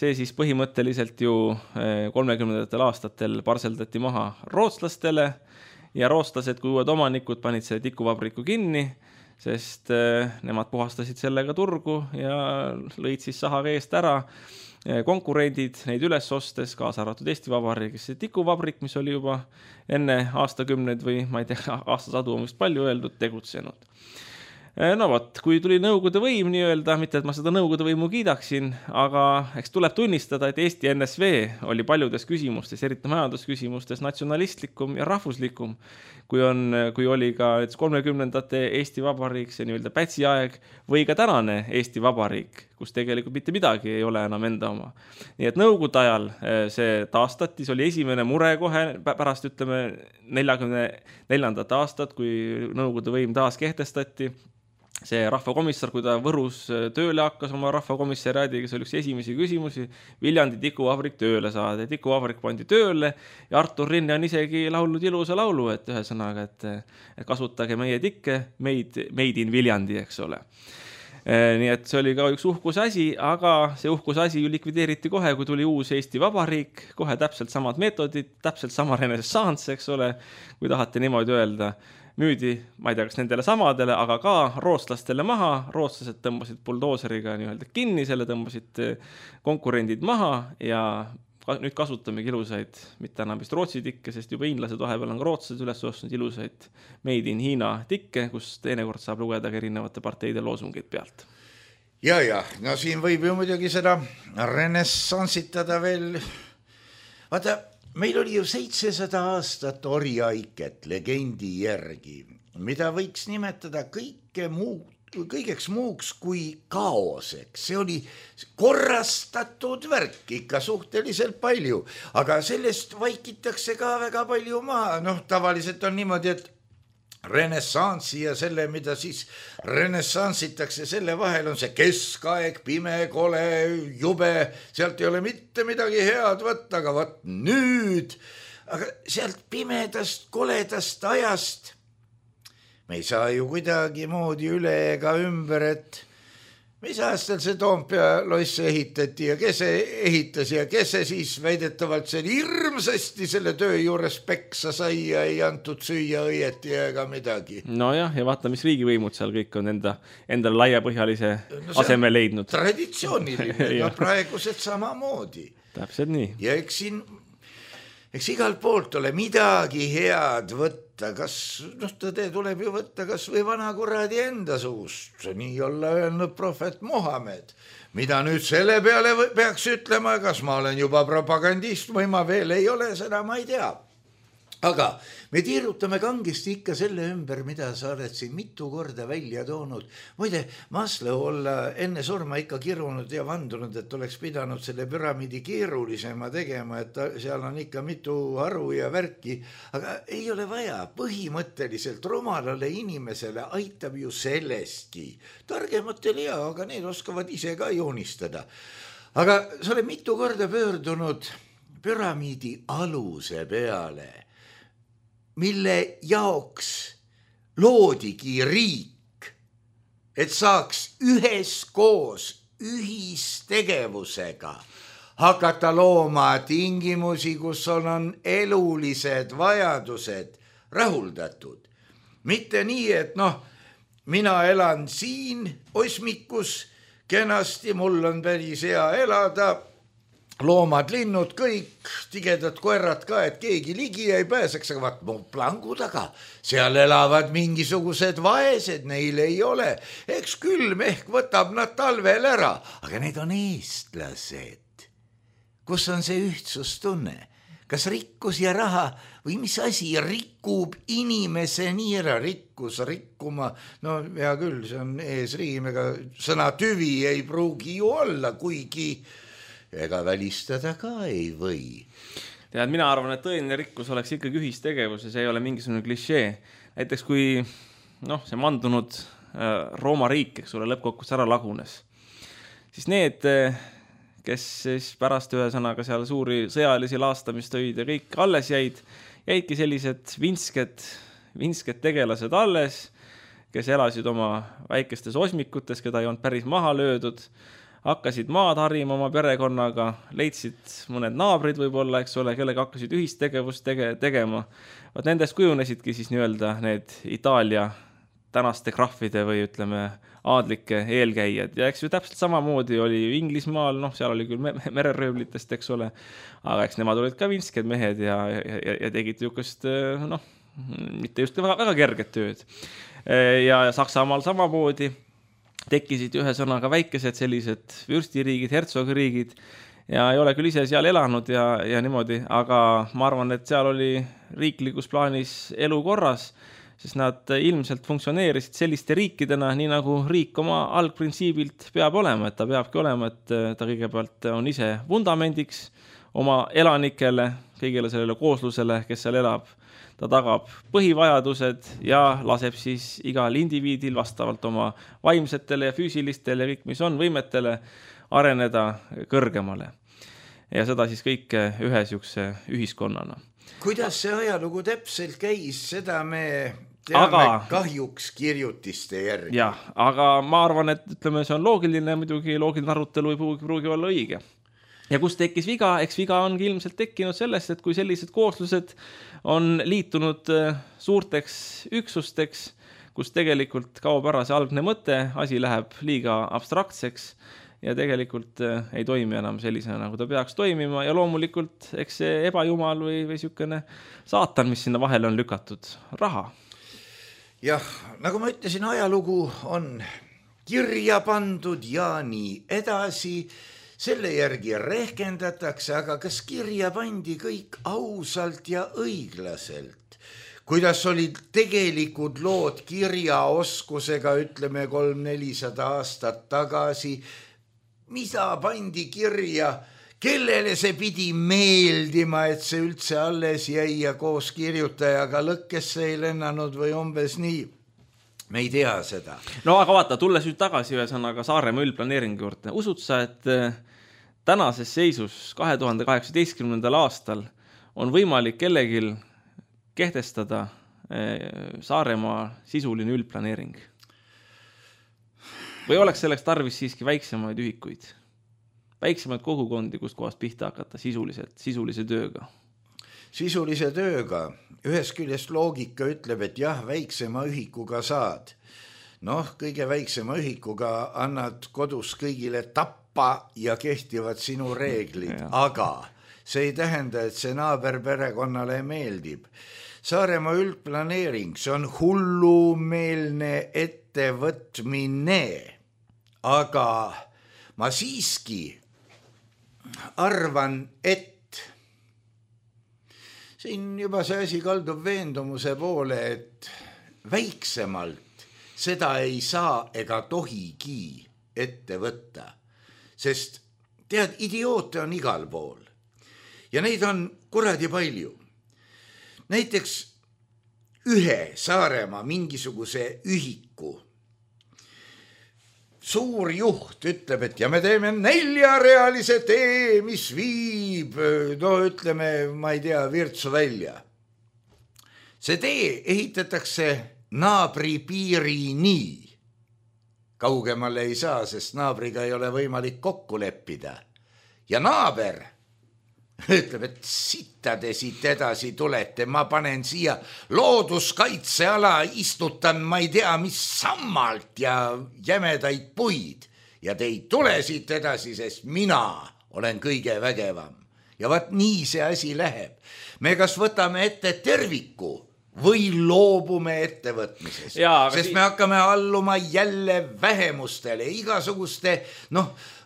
see siis põhimõtteliselt ju 30. aastatel parseldati maha rootslastele ja rootslased kui uued omanikud panid selle tikuvabriku kinni, sest nemad puhastasid sellega turgu ja lõid siis sahaga eest ära konkurendid neid üles ostes, kaasa arvatud Eesti Vabariigis. See tikuvabrik, mis oli juba enne aastakümneid või ma ei tea, aastasadu on vist palju öeldud, tegutsenud. No võt, kui tuli Nõukogude võim nii-öelda, mitte et ma seda Nõukogude võimu kiidaksin, aga eks tuleb tunnistada, et Eesti NSV oli paljudes küsimustes, eriti majandusküsimustes natsionalistlikum ja rahvuslikum, kui oli ka 30. Eesti Vabariik, see nii-öelda Pätsi aeg, või ka tänane Eesti Vabariik, kus tegelikult mitte midagi ei ole enam enda oma. Nii et Nõukogude ajal see taastati, see oli esimene mure kohe pärast, 44. aastat, kui Nõukogude võim taas kehtestati. See rahvakomissar, kui ta Võrus tööle hakkas oma rahvakomissariaadiga, see oli üks esimesi küsimusi, Viljandi tikuvabrik tööle saada. Tikuvabrik pandi tööle ja Artur Rinne on isegi laulnud ilusa laulu, et ühesõnaga, et kasutage meie tikke, made in Viljandi, eks ole. Nii et see oli ka üks uhkuse asi, aga see uhkuse asi ju likvideeriti kohe, kui tuli uus Eesti Vabariik, kohe täpselt samad meetodid, täpselt sama renessanss, eks ole, kui tahate niimoodi öelda. Müüdi, ma ei tea, kas nendele samadele, aga ka rootslastele maha, rootslased tõmbasid buldooseriga nii-öelda kinni, selle tõmbasid konkurendid maha ja nüüd kasutamegi ilusaid, mitte enam vist Rootsi tikke, sest juba hiinlased vahepeal on rootslased üles ostnud ilusaid made in Hiina tikke, kus teinekord saab lugeda ka erinevate parteide loosungid pealt. Ja, no siin võib ju muidugi seda renessansitada veel. Vaata, meil oli ju 700 aastat orjaiket legendi järgi, mida võiks nimetada kõigeks muuks kui kaoseks. See oli korrastatud värk ikka suhteliselt palju, aga sellest vaikitakse ka väga palju maha. Tavaliselt on niimoodi, et renessansi ja selle, mida siis renessansitakse, selle vahel on see keskaeg, pime, kole, jube, sealt ei ole mitte midagi head võtta, aga võt nüüd, aga sealt pimedast, koledast ajast me ei saa ju kuidagi moodi üle ega ümber, et mis aastal see Toompea loss ehitati ja kes ehitas ja kes siis väidetavalt see hirmsasti selle töö juures peksa sai ja ei antud süüa õieti ega midagi. Nojah, ja vaata, mis riigivõimud seal kõik on endale laiapõhjalise aseme leidnud. Traditsiooniline, praegused samamoodi. Täpselt nii. Ja eks igalt poolt ole midagi head võtta, kas, tõde tuleb ju võtta kas või vana kuradi enda suust, nii olla öelnud prohvet Mohamed. Mida nüüd selle peale peaks ütlema, kas ma olen juba propagandist või ma veel ei ole, seda ma ei tea. Aga me tiirutame kangesti ikka selle ümber, mida sa oled siin mitu korda välja toonud. Muide, Maslow olla enne surma ikka kirunud ja vandunud, et oleks pidanud selle püramiidi keerulisema tegema, et seal on ikka mitu haru ja värki. Aga ei ole vaja, põhimõtteliselt rumalale inimesele aitab ju sellestki. Targematel ja, aga need oskavad ise ka joonistada. Aga sa oled mitu korda pöördunud püramiidi aluse peale, mille jaoks loodigi riik, et saaks üheskoos ühistegevusega hakata looma tingimusi, kus on elulised vajadused rahuldatud. Mitte nii, et mina elan siin osmikus kenasti, mul on päris hea elada, loomad, linnud, kõik, tigedad koerad ka, et keegi ligi ei pääseks, aga vaat plangu taga, seal elavad mingisugused vaesed, neil ei ole. Eks külm ehk võtab nad talvel ära, aga need on eestlased. Kus on see ühtsustunne? Kas rikkus ja raha või mis asi rikub inimese nii ära? Rikkus, rikkuma, no hea küll, see on eesriim, ega sõna tüvi ei pruugi ju olla, kuigi ega välistada ka ei või. Tead, mina arvan, et tõeline rikkus oleks ikkagi ühistegevus ja see ei ole mingisugune klišee. Näiteks kui see mandunud Rooma riik, eks ole, lõppkokkus ära lagunes, siis need, kes siis pärast ühesõnaga seal suuri sõjalisi laastamist tõid ja kõik alles jäidki sellised vinsked tegelased alles, kes elasid oma väikestes osmikutes, keda ei olnud päris maha löödud, hakkasid maad harima oma perekonnaga, leidsid mõned naabrid võib-olla, eks ole, kellega hakkasid ühistegevust tegema. Vaat nendest kujunesidki siis nii-öelda need Itaalia tänaste krahvide või ütleme aadlike eelkäijad. Ja eks ju täpselt samamoodi oli Inglismaal, seal oli küll mereröövlitest, eks ole, aga eks nemad olid ka vinsked mehed ja tegid jukast, mitte just väga kerget tööd. Ja Saksamaal samamoodi tekkisid ühesõnaga väikesed sellised vürstiriigid, hertsogiriigid ja ei ole küll ise seal elanud ja niimoodi, aga ma arvan, et seal oli riiklikus plaanis elu korras, sest nad ilmselt funktsioneerisid selliste riikidena, nii nagu riik oma algprintsiibilt peab olema, et ta peabki olema, et ta kõigepealt on ise vundamendiks oma elanikele, kõigele sellele kooslusele, kes seal elab. Ta tagab põhivajadused ja laseb siis igal indiviidil vastavalt oma vaimsetele ja füüsilistele ja kõik, mis on võimetele, areneda kõrgemale. Ja seda siis kõike ühe sihukese ühiskonnana. Kuidas see ajalugu täpselt käis, seda me teame kahjuks kirjutiste järgi. Jah, aga ma arvan, et ütleme, see on loogiline, muidugi loogiline arutelu ei pruugi olla õige. Ja kus tekkis viga? Eks viga ongi ilmselt tekkinud sellest, et kui sellised kooslused on liitunud suurteks üksusteks, kus tegelikult kaob ära see algne mõte, asi läheb liiga abstraktseks ja tegelikult ei toimi enam sellisena, nagu ta peaks toimima ja loomulikult eks see ebajumal või sihukene saatan, mis sinna vahele on lükatud, raha. Jah, nagu ma ütlesin, ajalugu on kirja pandud ja nii edasi. Selle järgi rehkendatakse, aga kas kirja pandi kõik ausalt ja õiglaselt? Kuidas olid tegelikud lood kirjaoskusega, ütleme 300-400 aastat tagasi? Mida pandi kirja? Kellele see pidi meeldima, et see üldse alles jäi ja koos kirjutajaga lõkkesse ei lennanud või umbes nii? Me ei tea seda. No aga vaata, tulles nüüd tagasi ühesõnaga Saaremaa üldplaneeringu juurde. Usud sa, et tänases seisus 2018. aastal on võimalik kellegil kehtestada Saaremaa sisuline üldplaneering? Või oleks selleks tarvis siiski väiksemaid ühikuid? Väiksemaid kogukondi, kust kohast pihta hakata sisulise tööga? Sisulise tööga. Ühes küljest loogika ütleb, et jah, väiksema ühikuga saad. Kõige väiksema ühikuga annad kodus kõigile tappa ja kehtivad sinu reeglid, aga see ei tähenda, et see naaberperekonnale meeldib. Saaremaa üldplaneering, see on hullumeelne ettevõtmine, aga ma siiski arvan, et siin juba see asi kaldub veendumuse poole, et väiksemalt seda ei saa ega tohigi ette võtta, sest tead, idioote on igal pool ja neid on kuradi palju. Näiteks ühe Saaremaa mingisuguse ühiku suur juht ütleb, et ja me teeme 4-realise tee, mis viib, no ütleme, ma ei tea, Virtsu välja. See tee ehitatakse naabri piirini. Kaugemale ei saa, sest naabriga ei ole võimalik kokku leppida. Ja naaber ütleb, et sitta te siit edasi tulete, ma panen siia looduskaitseala, istutan ma ei tea mis sammalt ja jämedaid puid ja te ei tule siit edasi, sest mina olen kõige vägevam. Ja vaat nii see asi läheb. Me kas võtame ette terviku või loobume ettevõtmisest, sest me hakkame alluma jälle vähemustele, igasuguste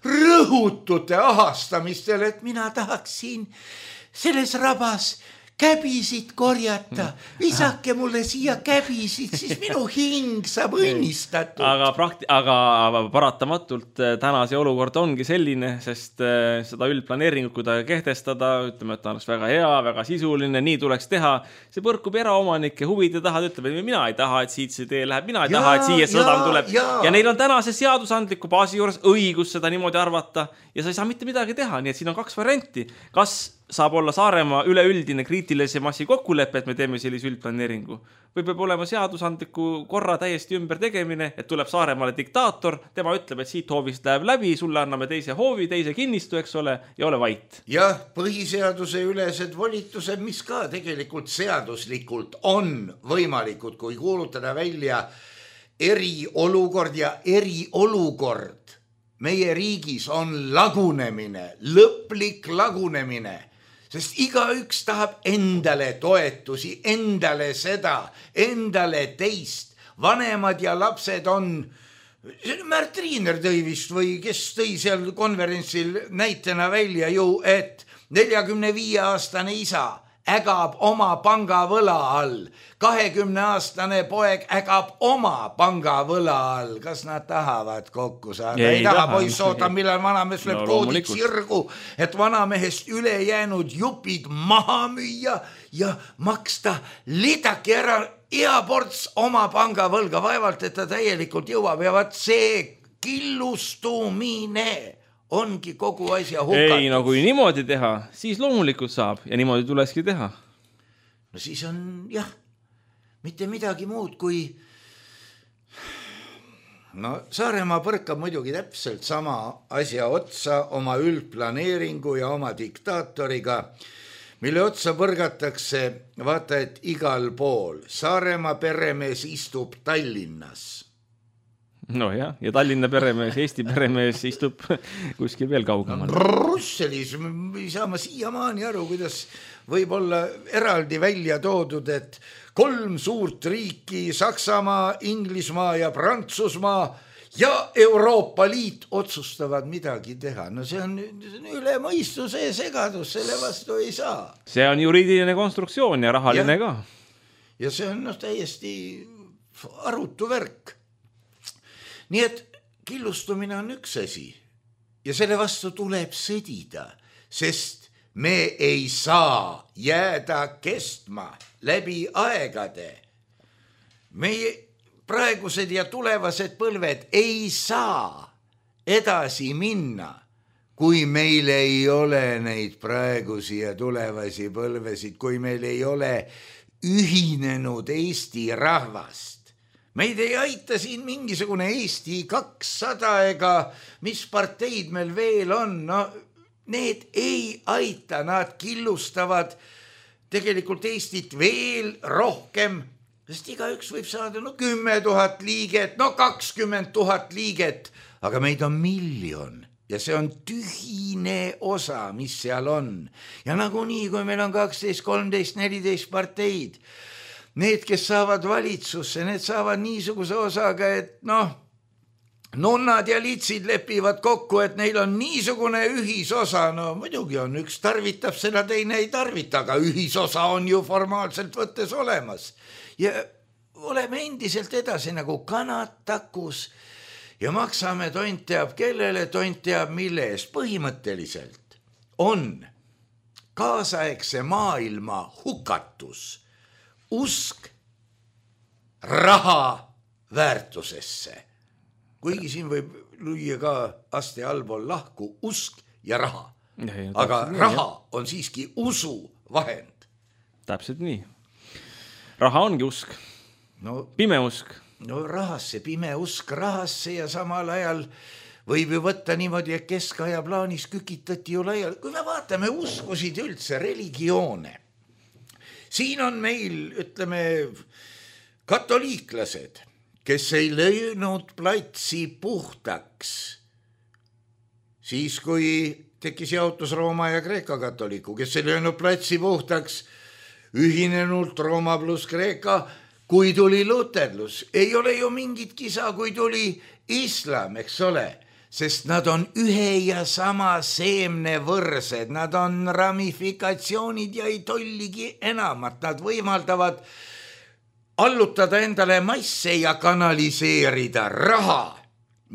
rõhutute ahastamistele, et mina tahaksin selles rabas käbisid korjata, visake mulle siia käbisid, siis minu hing saab õnnistatud. Aga paratamatult tänase olukord ongi selline, sest seda üldplaneeringut, kui ta kehtestada, ütleme, et ta oleks väga hea, väga sisuline, nii tuleks teha, see põrkub eraomanike huvide taha, ütleb, et mina ei taha, et siit see tee läheb, mina ei taha, et siia sõdam tuleb ja neil on tänase seadusandliku baasi juures õigus seda niimoodi arvata ja sa ei saa mitte midagi teha, nii et siin on 2 varianti. Kas saab olla Saaremaa üleüldine kriitilise massi kokkulepe, et me teeme sellise üldplaneeringu. Või peab olema seadusandliku korra täiesti ümber tegemine, et tuleb Saaremaale diktaator, tema ütleb, et siit hoovist läheb läbi, sulle anname teise hoovi, teise kinnistu, eks ole, ja ole vait. Jah, põhiseaduse ülesed volitused, mis ka tegelikult seaduslikult on võimalikud, kui kuulutada välja eriolukord ja eriolukord. Meie riigis on lagunemine, lõplik lagunemine. Sest igaüks tahab endale toetusi, endale seda, endale teist. Vanemad ja lapsed on, Märt Riiner tõi vist või kes tõi seal konverentsil näitena välja ju, et 45-aastane isa ägab oma pangavõla all. 20-aastane poeg ägab oma pangavõla all. Kas nad tahavad kokku saada? Ei taha, poiss oota, millal vanamees lööb koodid sirgu, et vanamehest ülejäänud jupid maha müüa ja maksta lidaki ära eaports oma pangavõlga. Vaevalt, et ta täielikult jõuab ja vaat see killustumine ongi kogu asja hukatud. Ei, no kui niimoodi teha, siis loomulikult saab ja niimoodi tulekski teha. No siis on, jah, mitte midagi muud kui Saaremaa põrkab muidugi täpselt sama asja otsa oma üldplaneeringu ja oma diktaatoriga, mille otsa põrgatakse, vaata, et igal pool. Saaremaa peremees istub Tallinnas. No jah, ja Tallinna peremees, Eesti peremees istub kuskil veel kaugemal. Brüsselis ei saa ma siiamaani aru, kuidas võib olla eraldi välja toodud, et 3 suurt riiki, Saksamaa, Inglismaa ja Prantsusmaa ja Euroopa Liit otsustavad midagi teha. No see on üle mõistuse segadus, selle vastu ei saa. See on juriidiline konstruktsioon ja rahaline ka. Ja see on täiesti arutu värk. Nii et killustumine on üks asi ja selle vastu tuleb sõdida, sest me ei saa jääda kestma läbi aegade. Meie praegused ja tulevased põlved ei saa edasi minna, kui meil ei ole neid praegusi ja tulevasi põlvesid, kui meil ei ole ühinenud Eesti rahvast. Meid ei aita siin mingisugune Eesti 200 ega mis parteid meil veel on. No, need ei aita, nad killustavad tegelikult Eestit veel rohkem, sest igaüks võib saada 10 000 liiget, 20 000 liiget, aga meid on 1 miljon ja see on tühine osa, mis seal on. Ja nagunii, kui meil on 12, 13, 14 parteid, need, kes saavad valitsusse, need saavad niisuguse osaga, et nunnad ja litsid lepivad kokku, et neil on niisugune ühisosa, no muidugi on, üks tarvitab seda, teine ei tarvita, aga ühisosa on ju formaalselt võttes olemas. Ja oleme endiselt edasi nagu kanad takus ja maksame tont teab kellele, tont teab mille eest. Põhimõtteliselt on kaasaegse maailma hukatus usk raha väärtusesse. Kuigi siin võib lüüa ka aste allpool lahku usk ja raha. Aga raha on siiski usu vahend. Täpselt nii. Raha ongi usk. Pime usk. No rahasse, pime usk rahasse ja samal ajal võib ju võtta niimoodi, et keskaja plaanis kükitati ju laial. Kui me vaatame uskusid üldse, religioone, siin on meil, ütleme, katoliiklased, kes ei löönud platsi puhtaks, siis kui tekkis jaotus Rooma ja Kreeka katoliku, kes ei löönud platsi puhtaks, ühinenult Rooma pluss Kreeka, kui tuli luterlus. Ei ole ju mingit kisa, kui tuli islam, eks ole, sest nad on ühe ja sama seemne võrsed, nad on ramifikatsioonid ja ei tolligi enamat, nad võimaldavad allutada endale masse ja kanaliseerida raha,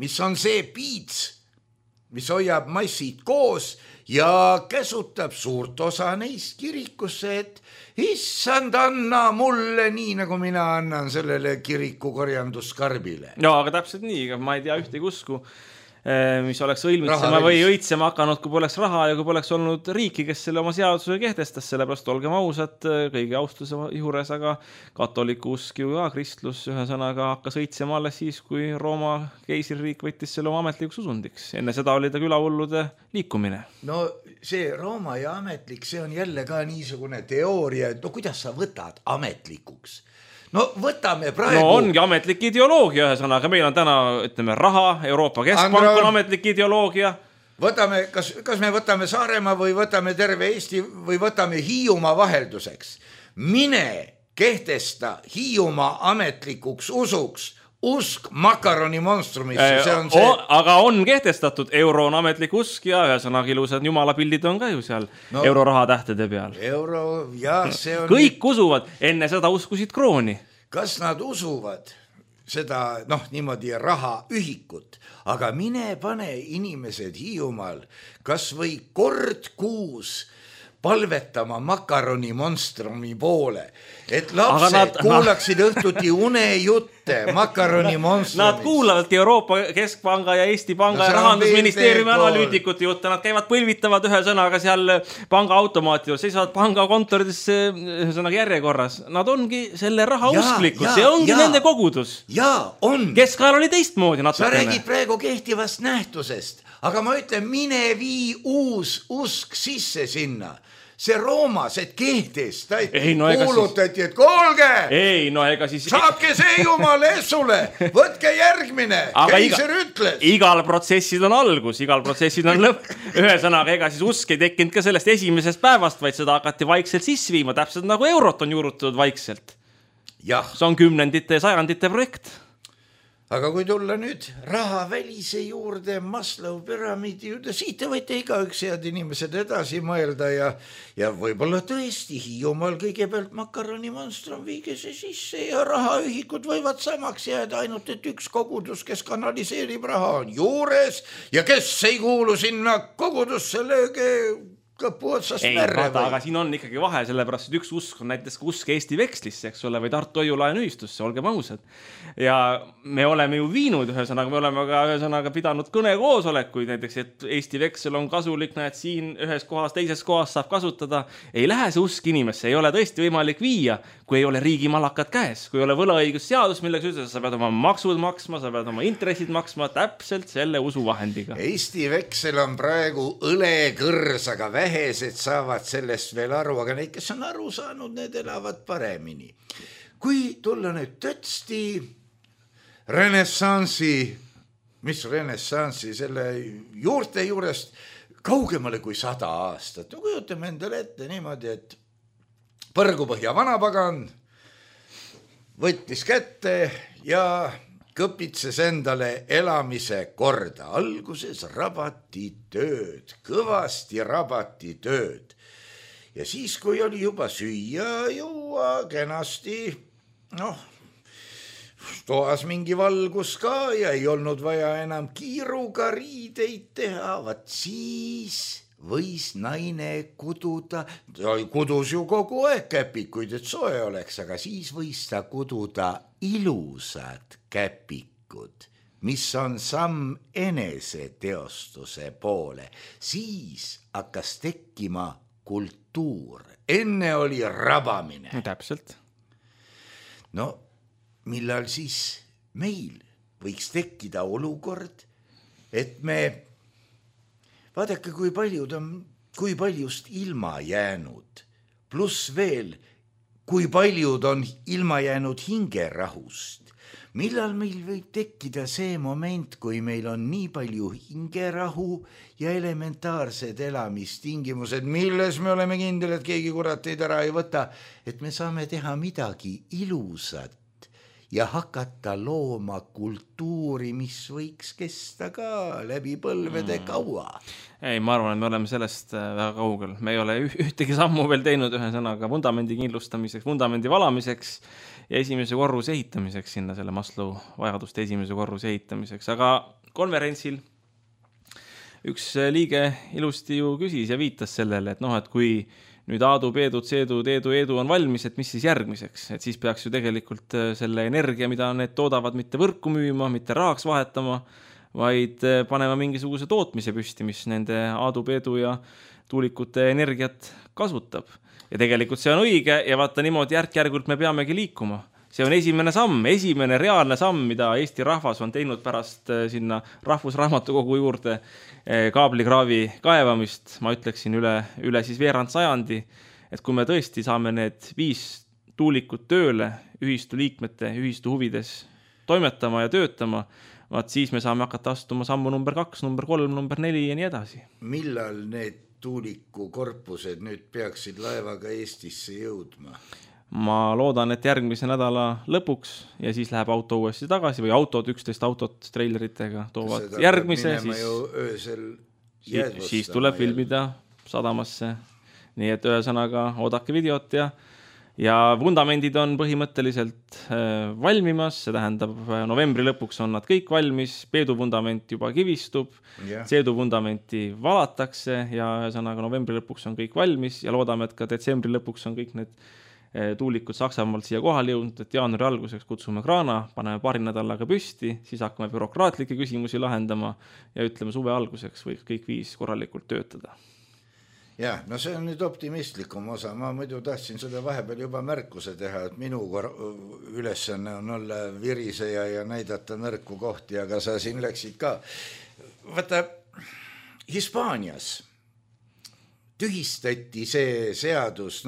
mis on see piits, mis hoiab massid koos ja käsutab suurt osa neist kirikusse, et issand, anna mulle nii, nagu mina annan sellele kiriku korjanduskarbile. No, aga täpselt nii, ma ei tea ühtegi usku, mis oleks õilmitsema või õitsema hakanud, kui poleks raha ja kui poleks olnud riiki, kes selle oma seaduse kehtestas, sellepärast olgem ausad kõigi austuse juures, aga katoliku usk ju ka kristlus ühesõnaga hakkas õitsema alles siis, kui Rooma keisririik võttis selle oma ametlikuks usundiks. Enne seda oli ta külahullude liikumine. No see Rooma ja ametlik, see on jälle ka niisugune teooria, et no kuidas sa võtad ametlikuks? No võtame praegu... No ongi ametlik ideoloogia ühesõnaga, meil on täna, ütleme, raha, Euroopa Keskpank on ametlik ideoloogia. Võtame, kas me võtame Saaremaa või võtame terve Eesti või võtame Hiiumaa vahelduseks. Mine kehtesta Hiiumaa ametlikuks usuks, usk makaroni monstrumisse, see on see... Aga on kehtestatud, euro on ametlik usk ja ühesõnaga ilusad jumalapildid on ka ju seal euroraha tähtede peal. Euro, jah, see on... Kõik usuvad, enne seda uskusid krooni. Kas nad usuvad seda, niimoodi rahaühikut, aga mine pane inimesed Hiiumaal kas või kord kuus palvetama makaroni monstrumi poole, et lapsed kuulaksid õhtuti unejutte makaroni monstrumist. Nad kuulavadki Euroopa Keskpanga ja Eesti Panga ja Rahandusministeeriumi analüütikute jutte, nad käivad põlvitavad ühesõnaga seal panga automaati, seisavad panga kontoridesse ühesõnaga järjekorras. Nad ongi selle raha usklikud, see ongi nende kogudus. Jaa, on. Keskajal oli teistmoodi natukene. Sa räägid praegu kehtivast nähtusest, aga ma ütlen, mine vii uus usk sisse sinna. See Roomas, et kehtestati, kuulutati, et kuulge, saabke see jumala essule, võtke järgmine, keiser ütles. Igal protsessid on algus, igal protsessid on lõpp. Ühesõnaga, ega siis usk ei tekkinud ka sellest esimesest päevast, vaid seda hakati vaikselt sisse viima, täpselt nagu eurot on juurutatud vaikselt. See on kümnendite ja sajandite projekt. Aga kui tulla nüüd raha välise juurde, Maslow püramiidi juurde, siit te võite igaüks head inimesed edasi mõelda ja võib-olla tõesti Hiiumaal kõigepealt makaroni monstrum viige see sisse ja rahaühikud võivad samaks jääda, ainult et üks kogudus, kes kanaliseerib raha, on juures ja kes ei kuulu sinna kogudusse, lööge kõpu otsast märre. Aga siin on ikkagi vahe, sellepärast, et üks usk on näiteks usk Eesti vekslisse, eks ole, või Tartu hoiulaenuühistusse, olgem ausad. Ja me oleme ju viinud ühesõnaga, me oleme ka ühesõnaga pidanud kõnekoosolekuid, näiteks, et Eesti veksel on kasulik, näed siin ühes kohas, teises kohas saab kasutada. Ei lähe see usk inimesse, ei ole tõesti võimalik viia, kui ei ole riigi malakad käes, kui ei ole võlaõigusseadus, millega ütles, sa pead oma maksud maksma, sa pead oma intressid maksma täpselt selle usuvahendiga. Eesti veksel on praegu õlekõrsaga vähesed saavad sellest veel aru, aga neid, kes on aru saanud, need elavad paremini. Kui tulla nüüd tõtsti renessansi, mis renessansi, selle juurte juurest kaugemale kui 100 aastat. No kujutame endale ette niimoodi, et Põrgupõhja vanapagan võttis kätte ja kõpitses endale elamise korda. Alguses rabati tööd, kõvasti rabati tööd. Ja siis, kui oli juba süüa, juua kenasti, toas mingi valgus ka ja ei olnud vaja enam kiiruga riideid teha, vaat siis võis naine kududa, kudus ju kogu aeg käpikuid, et soe oleks, aga siis võis ta kududa ilusad käpikud, mis on samm eneseteostuse poole. Siis hakkas tekkima kultuur. Enne oli rabamine. Täpselt. No, millal siis meil võiks tekkida olukord, et me vaadake, kui paljust ilma jäänud, pluss veel, kui paljud on ilma jäänud hingerahust. Millal meil võib tekkida see moment, kui meil on nii palju hingerahu ja elementaarsed elamistingimused, milles me oleme kindel, et keegi kurateid ära ei võta, et me saame teha midagi ilusat ja hakata looma kultuuri, mis võiks kesta ka läbi põlvede kaua. Ei, ma arvan, et me oleme sellest väga kaugel. Me ei ole ühtegi sammu veel teinud ühesõnaga vundamendi kindlustamiseks, vundamendi valamiseks ja esimese korruse ehitamiseks sinna, selle Maslow vajaduste esimese korruse ehitamiseks. Aga konverentsil üks liige ilusti ju küsis ja viitas sellele, et kui nüüd Aadu, Peedu, Tseedu, Teedu, Eedu on valmis, et mis siis järgmiseks? Et siis peaks ju tegelikult selle energia, mida need toodavad, mitte võrku müüma, mitte rahaks vahetama, vaid panema mingisuguse tootmise püsti, mis nende Aadu, Peedu ja tuulikute energiat kasutab. Ja tegelikult see on õige ja vaata niimoodi järk-järgult me peamegi liikuma. See on esimene reaalne samm, mida Eesti rahvas on teinud pärast sinna rahvusraamatukogu juurde kaablikraavi kaevamist, ma ütleksin üle siis veerand sajandi, et kui me tõesti saame need 5 tuulikut tööle ühistu liikmete, ühistu huvides toimetama ja töötama, vaat siis me saame hakata astuma sammu number 2, number 3, number 4 ja nii edasi. Millal need tuulikukorpused nüüd peaksid laevaga Eestisse jõudma? Ma loodan, et järgmise nädala lõpuks ja siis läheb auto uuesti tagasi või 11 autot treileritega toovad järgmise. Siis tuleb filmida sadamasse. Nii et ühesõnaga oodake videot ja vundamendid on põhimõtteliselt valmimas, see tähendab novembri lõpuks on nad kõik valmis, Peedu vundament juba kivistub, Tseedu vundamenti valatakse ja ühesõnaga novembri lõpuks on kõik valmis ja loodame, et ka detsembri lõpuks on kõik need tuulikud Saksamaalt siia kohale jõudnud, et jaanuari alguseks kutsume kraana, paneme paari nädalaga püsti, siis hakkame bürokraatlikke küsimusi lahendama ja ütleme suve alguseks võiks kõik 5 korralikult töötada. Jah, no see on nüüd optimistlikum osa. Ma muidu tahtsin seda vahepeal juba märkuse teha, et minu ülesanne on olla viriseja ja näidata nõrku kohti, aga sa siin läksid ka. Vaata, Hispaanias tühistati see seadus,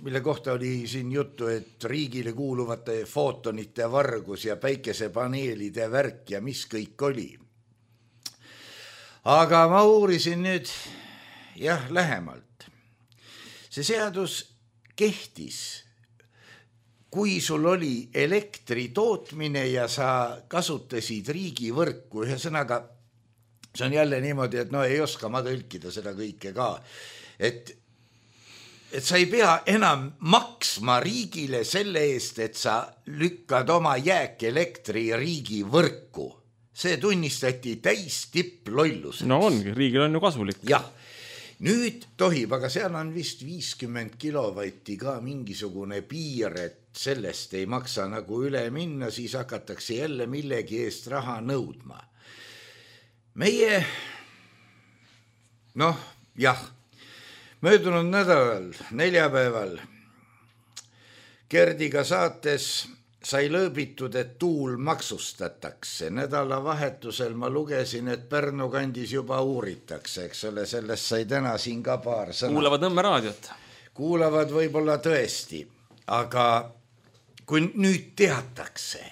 mille kohta oli siin juttu, et riigile kuuluvate footonite vargus ja päikesepaneelide värk ja mis kõik oli. Aga ma uurisin nüüd lähemalt. See seadus kehtis, kui sul oli elektri tootmine ja sa kasutasid riigivõrku. Ühesõnaga, see on jälle niimoodi, et ei oska ma tõlkida seda kõike ka, et sa ei pea enam maksma riigile selle eest, et sa lükkad oma jääkelektri riigi võrku. See tunnistati täis tipplollus. No ongi, riigil on ju kasulik. Jah, nüüd tohib, aga seal on vist 50 kilovatti ka mingisugune piir, et sellest ei maksa nagu üle minna, siis hakatakse jälle millegi eest raha nõudma. Meie, möödunud nädalal, neljapäeval Gerdiga saates sai lõõbitud, et tuul maksustatakse. Nädalavahetusel ma lugesin, et Pärnu kandis juba uuritakse, eks ole, sellest sai täna siin ka paar sõna. Kuulavad Nõmme raadiot. Kuulavad võib-olla tõesti, aga kui nüüd teatakse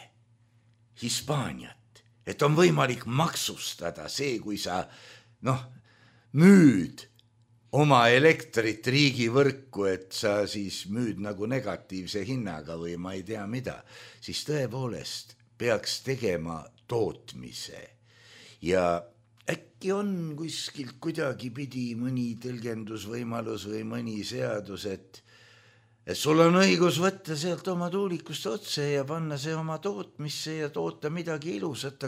Hispaaniat, et on võimalik maksustada see, kui sa müüd oma elektrit riigivõrku, et sa siis müüd nagu negatiivse hinnaga või ma ei tea mida, siis tõepoolest peaks tegema tootmise ja äkki on kuskilt kuidagi pidi mõni tõlgendusvõimalus või mõni seadus, et sul on õigus võtta sealt oma tuulikust otse ja panna see oma tootmisse ja toota midagi ilusat,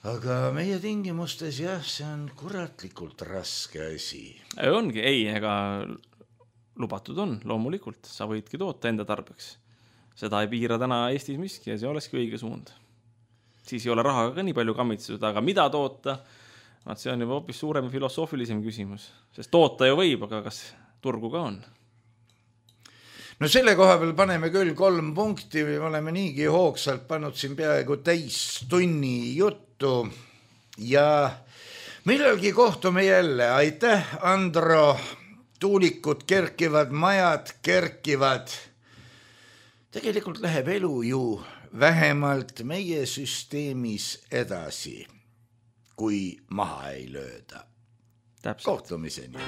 aga meie tingimustes jah, see on kuratlikult raske asi. Ongi, ega lubatud on, loomulikult, sa võidki toota enda tarbeks. Seda ei piira täna Eestis miski ja see olekski õige suund. Siis ei ole rahaga ka nii palju kammitsetud, aga mida toota, see on juba hoopis suurem filosoofilisem küsimus, sest toota ju võib, aga kas turgu ka on? No selle koha peal paneme küll 3 punkti, me oleme niigi hoogsalt pannud siin peaaegu täis tunni juttu ja millalgi kohtume jälle. Aitäh, Andro! Tuulikud kerkivad, majad kerkivad. Tegelikult läheb elu ju vähemalt meie süsteemis edasi, kui maha ei lööda. Täpselt. Kohtumiseni.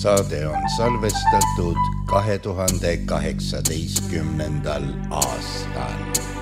Saade on salvestatud 2018. aastal.